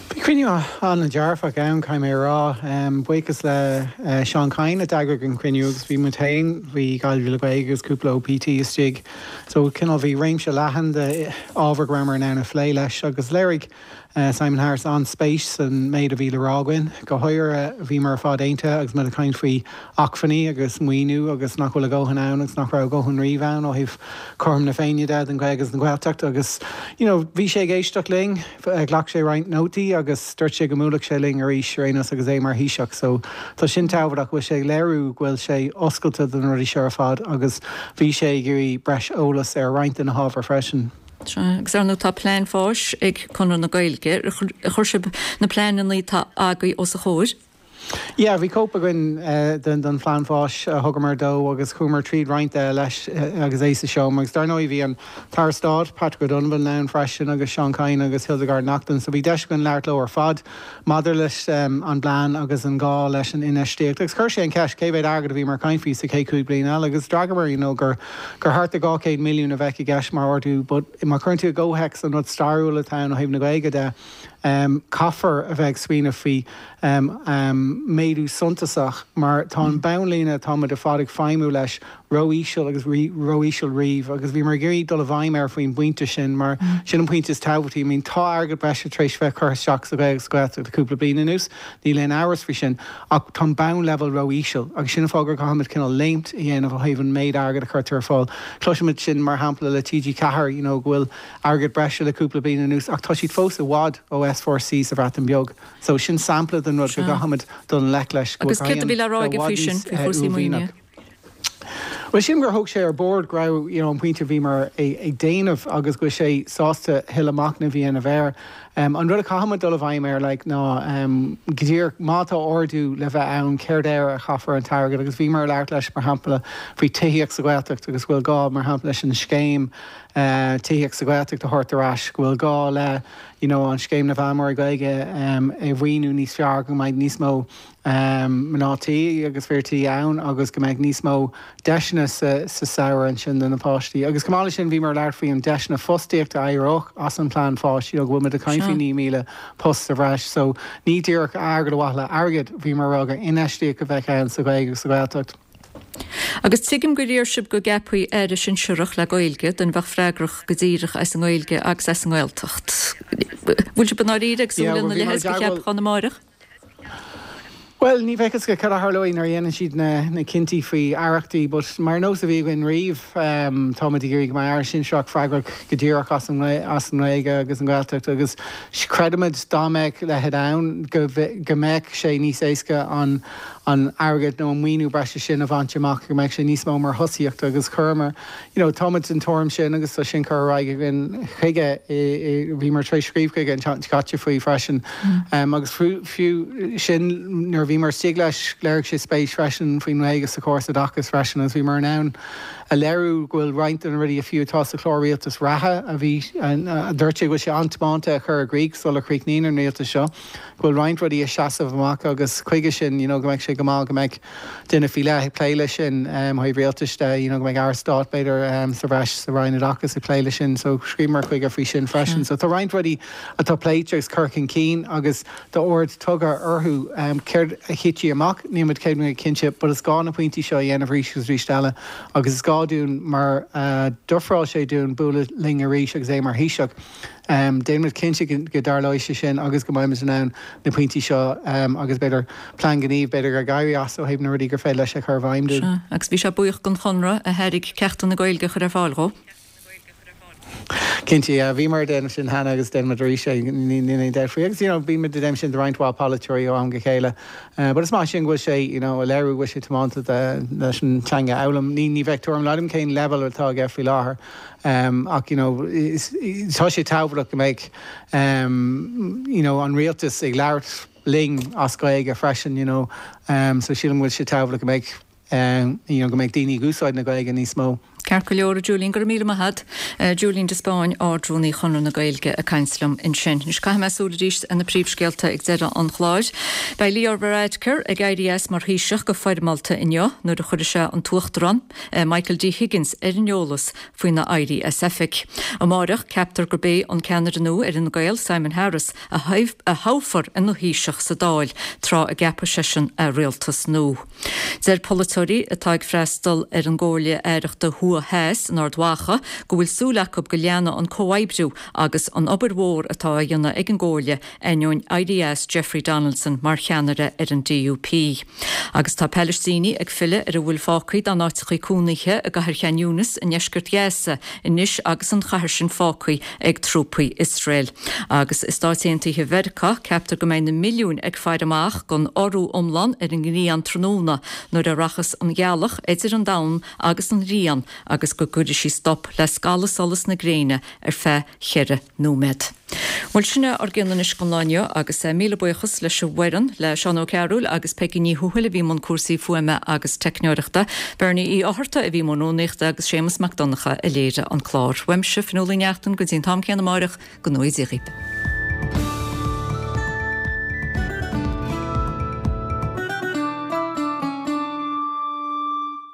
Bhí cruinniú an-dearfach ann, caithfidh mé a rá. Buíochas le Seán Kyne a d'eagraigh an cruinniú agus bhí muid féin, bhí Gaillimh le Gaeilge agus cúpla OPT istigh. So cineál bhí réimse leathan de ábhar go rabhamar in ann a phlé leis agus léirigh Simon Harris an-spéis san méid a bhí le rá againn. Go háirithe bhíomar ar fad aontaithe agus muid ag caint faoi acmhainní agus maoiniú agus nach bhfuil a dhóthain ann agus nach raibh a dhóthain riamh ann ó thaobh cothrom na Féinne de don Ghaeilge agus don Ghaeltacht agus you know bhí sé ag éisteacht linn, ghlac sé roinnt nótaí agus dúirt sé go mbuailfeadh sé linn arís ar aon nós agus é mar Thaoiseach so tá sin tábhachtach go bhfuil sé ag léiriú go bhfuil sé oscailte do na rudaí seo ar fad agus bhí sé ag iarraidh breis eolas ar roinnt de na hábhair freisin. Sea, agus ar ndóigh tá plean fáis ag Conradh na Gaeilge. Ar chuir sibh na pleananna atá agaibh os a chomhair? Yeah, bhí cóip againn den phlean fáis a thugamar dó agus chuamar tríd roinnt de leis agus é sa seomra. Agus dar ndóigh bhí an tAire Stáit, Patrick O'Donovan ann freisin agus Seán Kyne agus Hildegarde Naughton so bhí deis againn labhairt leo ar fad maidir leis an bplean agus an gá leis an infheistíocht. Agus chuir sé an cheist cé mhéad airgead a bhíomar ag caint faoi sa chéad chúig bliana eile agus d'fhreagaramar you know gur gur thart ar 200 milliún a bheadh i gceist mar ardú but má chuireann tú i gcomhthéacs an rud stairiúil atá ann ó thaobh na Gaeilge de caithfear a bheith ag smaoineamh faoi méadú suntasach mar tá an bonnlíne atáimid ar fad ag feidhmiú leis ró-íseal agus ró-íseal riamh agus bhíomar ag iarraidh dul i bhfeidhm air faoin bpointe sin mar sin an pointe is tábhachtaí. I mean tá airgead breise tar éis bheith curtha isteach sa Ghaeilge sa Ghaeltacht le cúpla bliain anuas, níl aon amhras faoi sin, ach tá an bonnleibhéal ró-íseal agus sin an fáth gur caithfimid cineál léimt a dhéanamh ó thaobh an méid airgid a chuirtear ar fáil. Cloisimid sin mar shampla le TG4, you know go bhfuil airgead breise le cúpla bliain anuas ach tá siad fós i bhfad ó S4C sa Bhreatain Bheag. So sin sampla den rud go gcaithfimid dul i ngleic leis go bhfuil Agus céard a bhí le rá aige faoi sin, faoi chúrsaí maoinithe? Bhuel, sílim gur thóg sé ar bord go raibh, you know, an pointe a bhíomar ag déanamh agus go bhfuil sé sásta thuilleadh machnaimh a dhéanamh air. An rud a chaithfimid dul i bhfeidhm air, like, ná go díreach má tá ardú le bheith ann, céard air a chaithfear an t-airgead agus bhíomar ag labhairt leis, mar shampla, faoi tithíocht sa Ghaeltacht agus go bhfuil gá, mar shampla, leis an scéim tithíocht sa Ghaeltacht a thabhairt ar ais, go bhfuil gá le, you know, an scéim na bhfeilmeoirí Gaeilge a mhaoiniú níos fearr, go mbeidh níos mó mná tí agus fir tí ann agus go mbeidh níos mó deiseanna sa samhradh ansin do na páistí. Agus chomh maith leis sin bhíomar ag labhairt faoi an deiseanna fostaíochta a éireodh as an plean fáis, you know, go bhfuil muid ag caint faoi 9,000 post sa bhreis. So ní díreach airgead ar mhaithe le airgead, bhíomar ag rá gur infheistíocht a bheadh ann sa Ghaeilge agus sa Ghaeltacht. Agus tuigim gur iarr sibh go gceapfaí Aire Sinsearach le Gaeilge, duine a bheadh freagrach go díreach as an nGaeilge agus as an nGaeltacht. Bhfuil sibh i ndáiríre ag súil lena leithéid de cheapachán amáireach? Bhuel, ní bheadh fhios agat cad a tharlóidh nuair a dhéanann siad na cinntí faoi aireachtaí, but mar nós a bhí againn riamh, táimid ag iarraidh go mbeidh aire sinsearach freagrach go díreach as an nGaeilge agus an Ghaeltacht agus creidimid dá mbeadh leithéid ann go mbeadh sé níos éasca an an airgead nó an maoiniú breise sin a bhaint amach, go mbeadh sé níos mó mar thosaíocht agus chuireamar, you know, táimid den tuairim sin agus tá sin curtha ar aghaidh againn chuige, bhíomar tar éis scríobh chuige an tseachtain seo caite faoi freisin. Agus fiú sin, nuair a bhíomar istigh leis, léirigh sé spéis freisin faoin nGaeilge sa chóras oideachais freisin agus bhíomar in ann a léiriú go bhfuil roinnt de na rudaí a fiú atá sa chlár rialtais reatha a bhí, a dúirt sé go bhfuil sé an-tiomanta a chur i gcrích sula chríochnaíonn an rialtas seo. go bhfuil roinnt rudaí ag seasamh amach agus chuige sin you know go mbeadh sé go maith go mbeadh duine faoi leith ag plé leis sin ó thaobh rialtais de, you know go mbeadh Aire Stáit b'fhéidir sa bhreis sa Roinn Oideachais ag plé leis sin so scríobhamar chuige faoi sin freisin. So tá roinnt rudaí atá pléite agus curtha chun cinn agus tá aird tugtha orthu. Céard a thitfidh amach níl muid 100% cinnte but is gá na pointí seo a dhéanamh arís agus arís eile agus is gá dúinn mar a d'ofráil sé dúinn bualadh linn arís agus é mar Thaoiseach. Déanfaimid cinnte go dtarlóidh sé sin agus go mbeimid in ann na pointí seo agus b'fhéidir plean gnímh b'fhéidir ag éirí as ó thaobh na rudaí gur féidir leis a chur i bhfeidhm dúinn. Sea, agus bhí sé buíoch den Chonradh a thairg ceachtanna Gaeilge a chur ar fáil dhó. Cinnte, yeah. Bhíomar ag déanamh sin cheana agus déanfaimid arís é, níl aon dabht faoi. Agus you know bímid ag déanamh sin do roinnt mhaith polaiteoirí ó am go chéile. But is maith sin go bhfuil sé you know ag léiriú go bhfuil sé tiomanta leis an teanga a fhoghlaim. Ní bheadh tuairim agam cén leibhéal atá aige faoi láthair. Ach you know tá sé tábhachtach go mbeidh you know an rialtas ag labhairt linn as Gaeilge freisin you know so sílim go bhfuil sé tábhachtach go mbeidh you know go mbeidh daoine ag úsáid na Gaeilge níos mó. Ceart go leor, a Julian, go raibh míle maith agat. Julian de Spáinn, Ard-Rúnaí Chonradh na Gaeilge ag caint liom ansin. Anois caithfidh mé súil arís ar na príomhscéalta ag deireadh an chláir. Beidh Leo Varadkar ag éirí as mar Thaoiseach go foirmeálta inniu nuair a chuirfidh sé an tUachtarán, Michael D Higgins ar an eolas faoina éirí as oifig. Amáireach, ceaptar gurb é an ceannaire nua ar Fhine Gael, Simon Harris, a thoghfar ina Thaoiseach sa Dáil tráth a gceapfaidh seisean a rialtas nua. Deir polaiteoirí atá ag freastal ar an gComhairle Aireachta Thuaidh Theas in Ard Mhacha go bhfuil súil acu go leanfaidh an comhoibriú agus an obair mhór atá á dhéanamh ag an gComhairle ainneoin éirí as Jeffrey Donaldson mar cheannaire ar an DUP. Agus tá Palaistínigh ag filleadh ar a bhfuil fágtha dá n-áiteachaí cónaithe i gcathair Chan Yunis i ndeisceart Ghaza anois agus an chathair sin fágtha ag trúpaí Iosrael. Agus i Stáit Aontaithe Mheiriceá, ceaptar go mbeidh na milliúin ag faire amach don urú iomlán ar an ngrian tráthnóna nuair a rachas an ghealach idir an domhan agus an ghrian agus go gcuirfidh sí stop le scalladh solas na gréine ar feadh cheithre nóiméad. Bhuel, sin é ár gcion anois don lá inniu agus míle buíochas leis an bhfoireann, le Seán Ó Cearúil agus Peigí Ní Thuathail a bhí i mbun cúrsaí fuaime agus teicneoireachta, Bernie Uí Fhátharta a bhí i mbun rúnaíochta agus Séamus Mac Donncha a léirigh an clár. Uaimse, Fionnuala Ní Neachtain, go dtí an t-am céanna amáireach, go ngnóthaí Dia dhaoibh.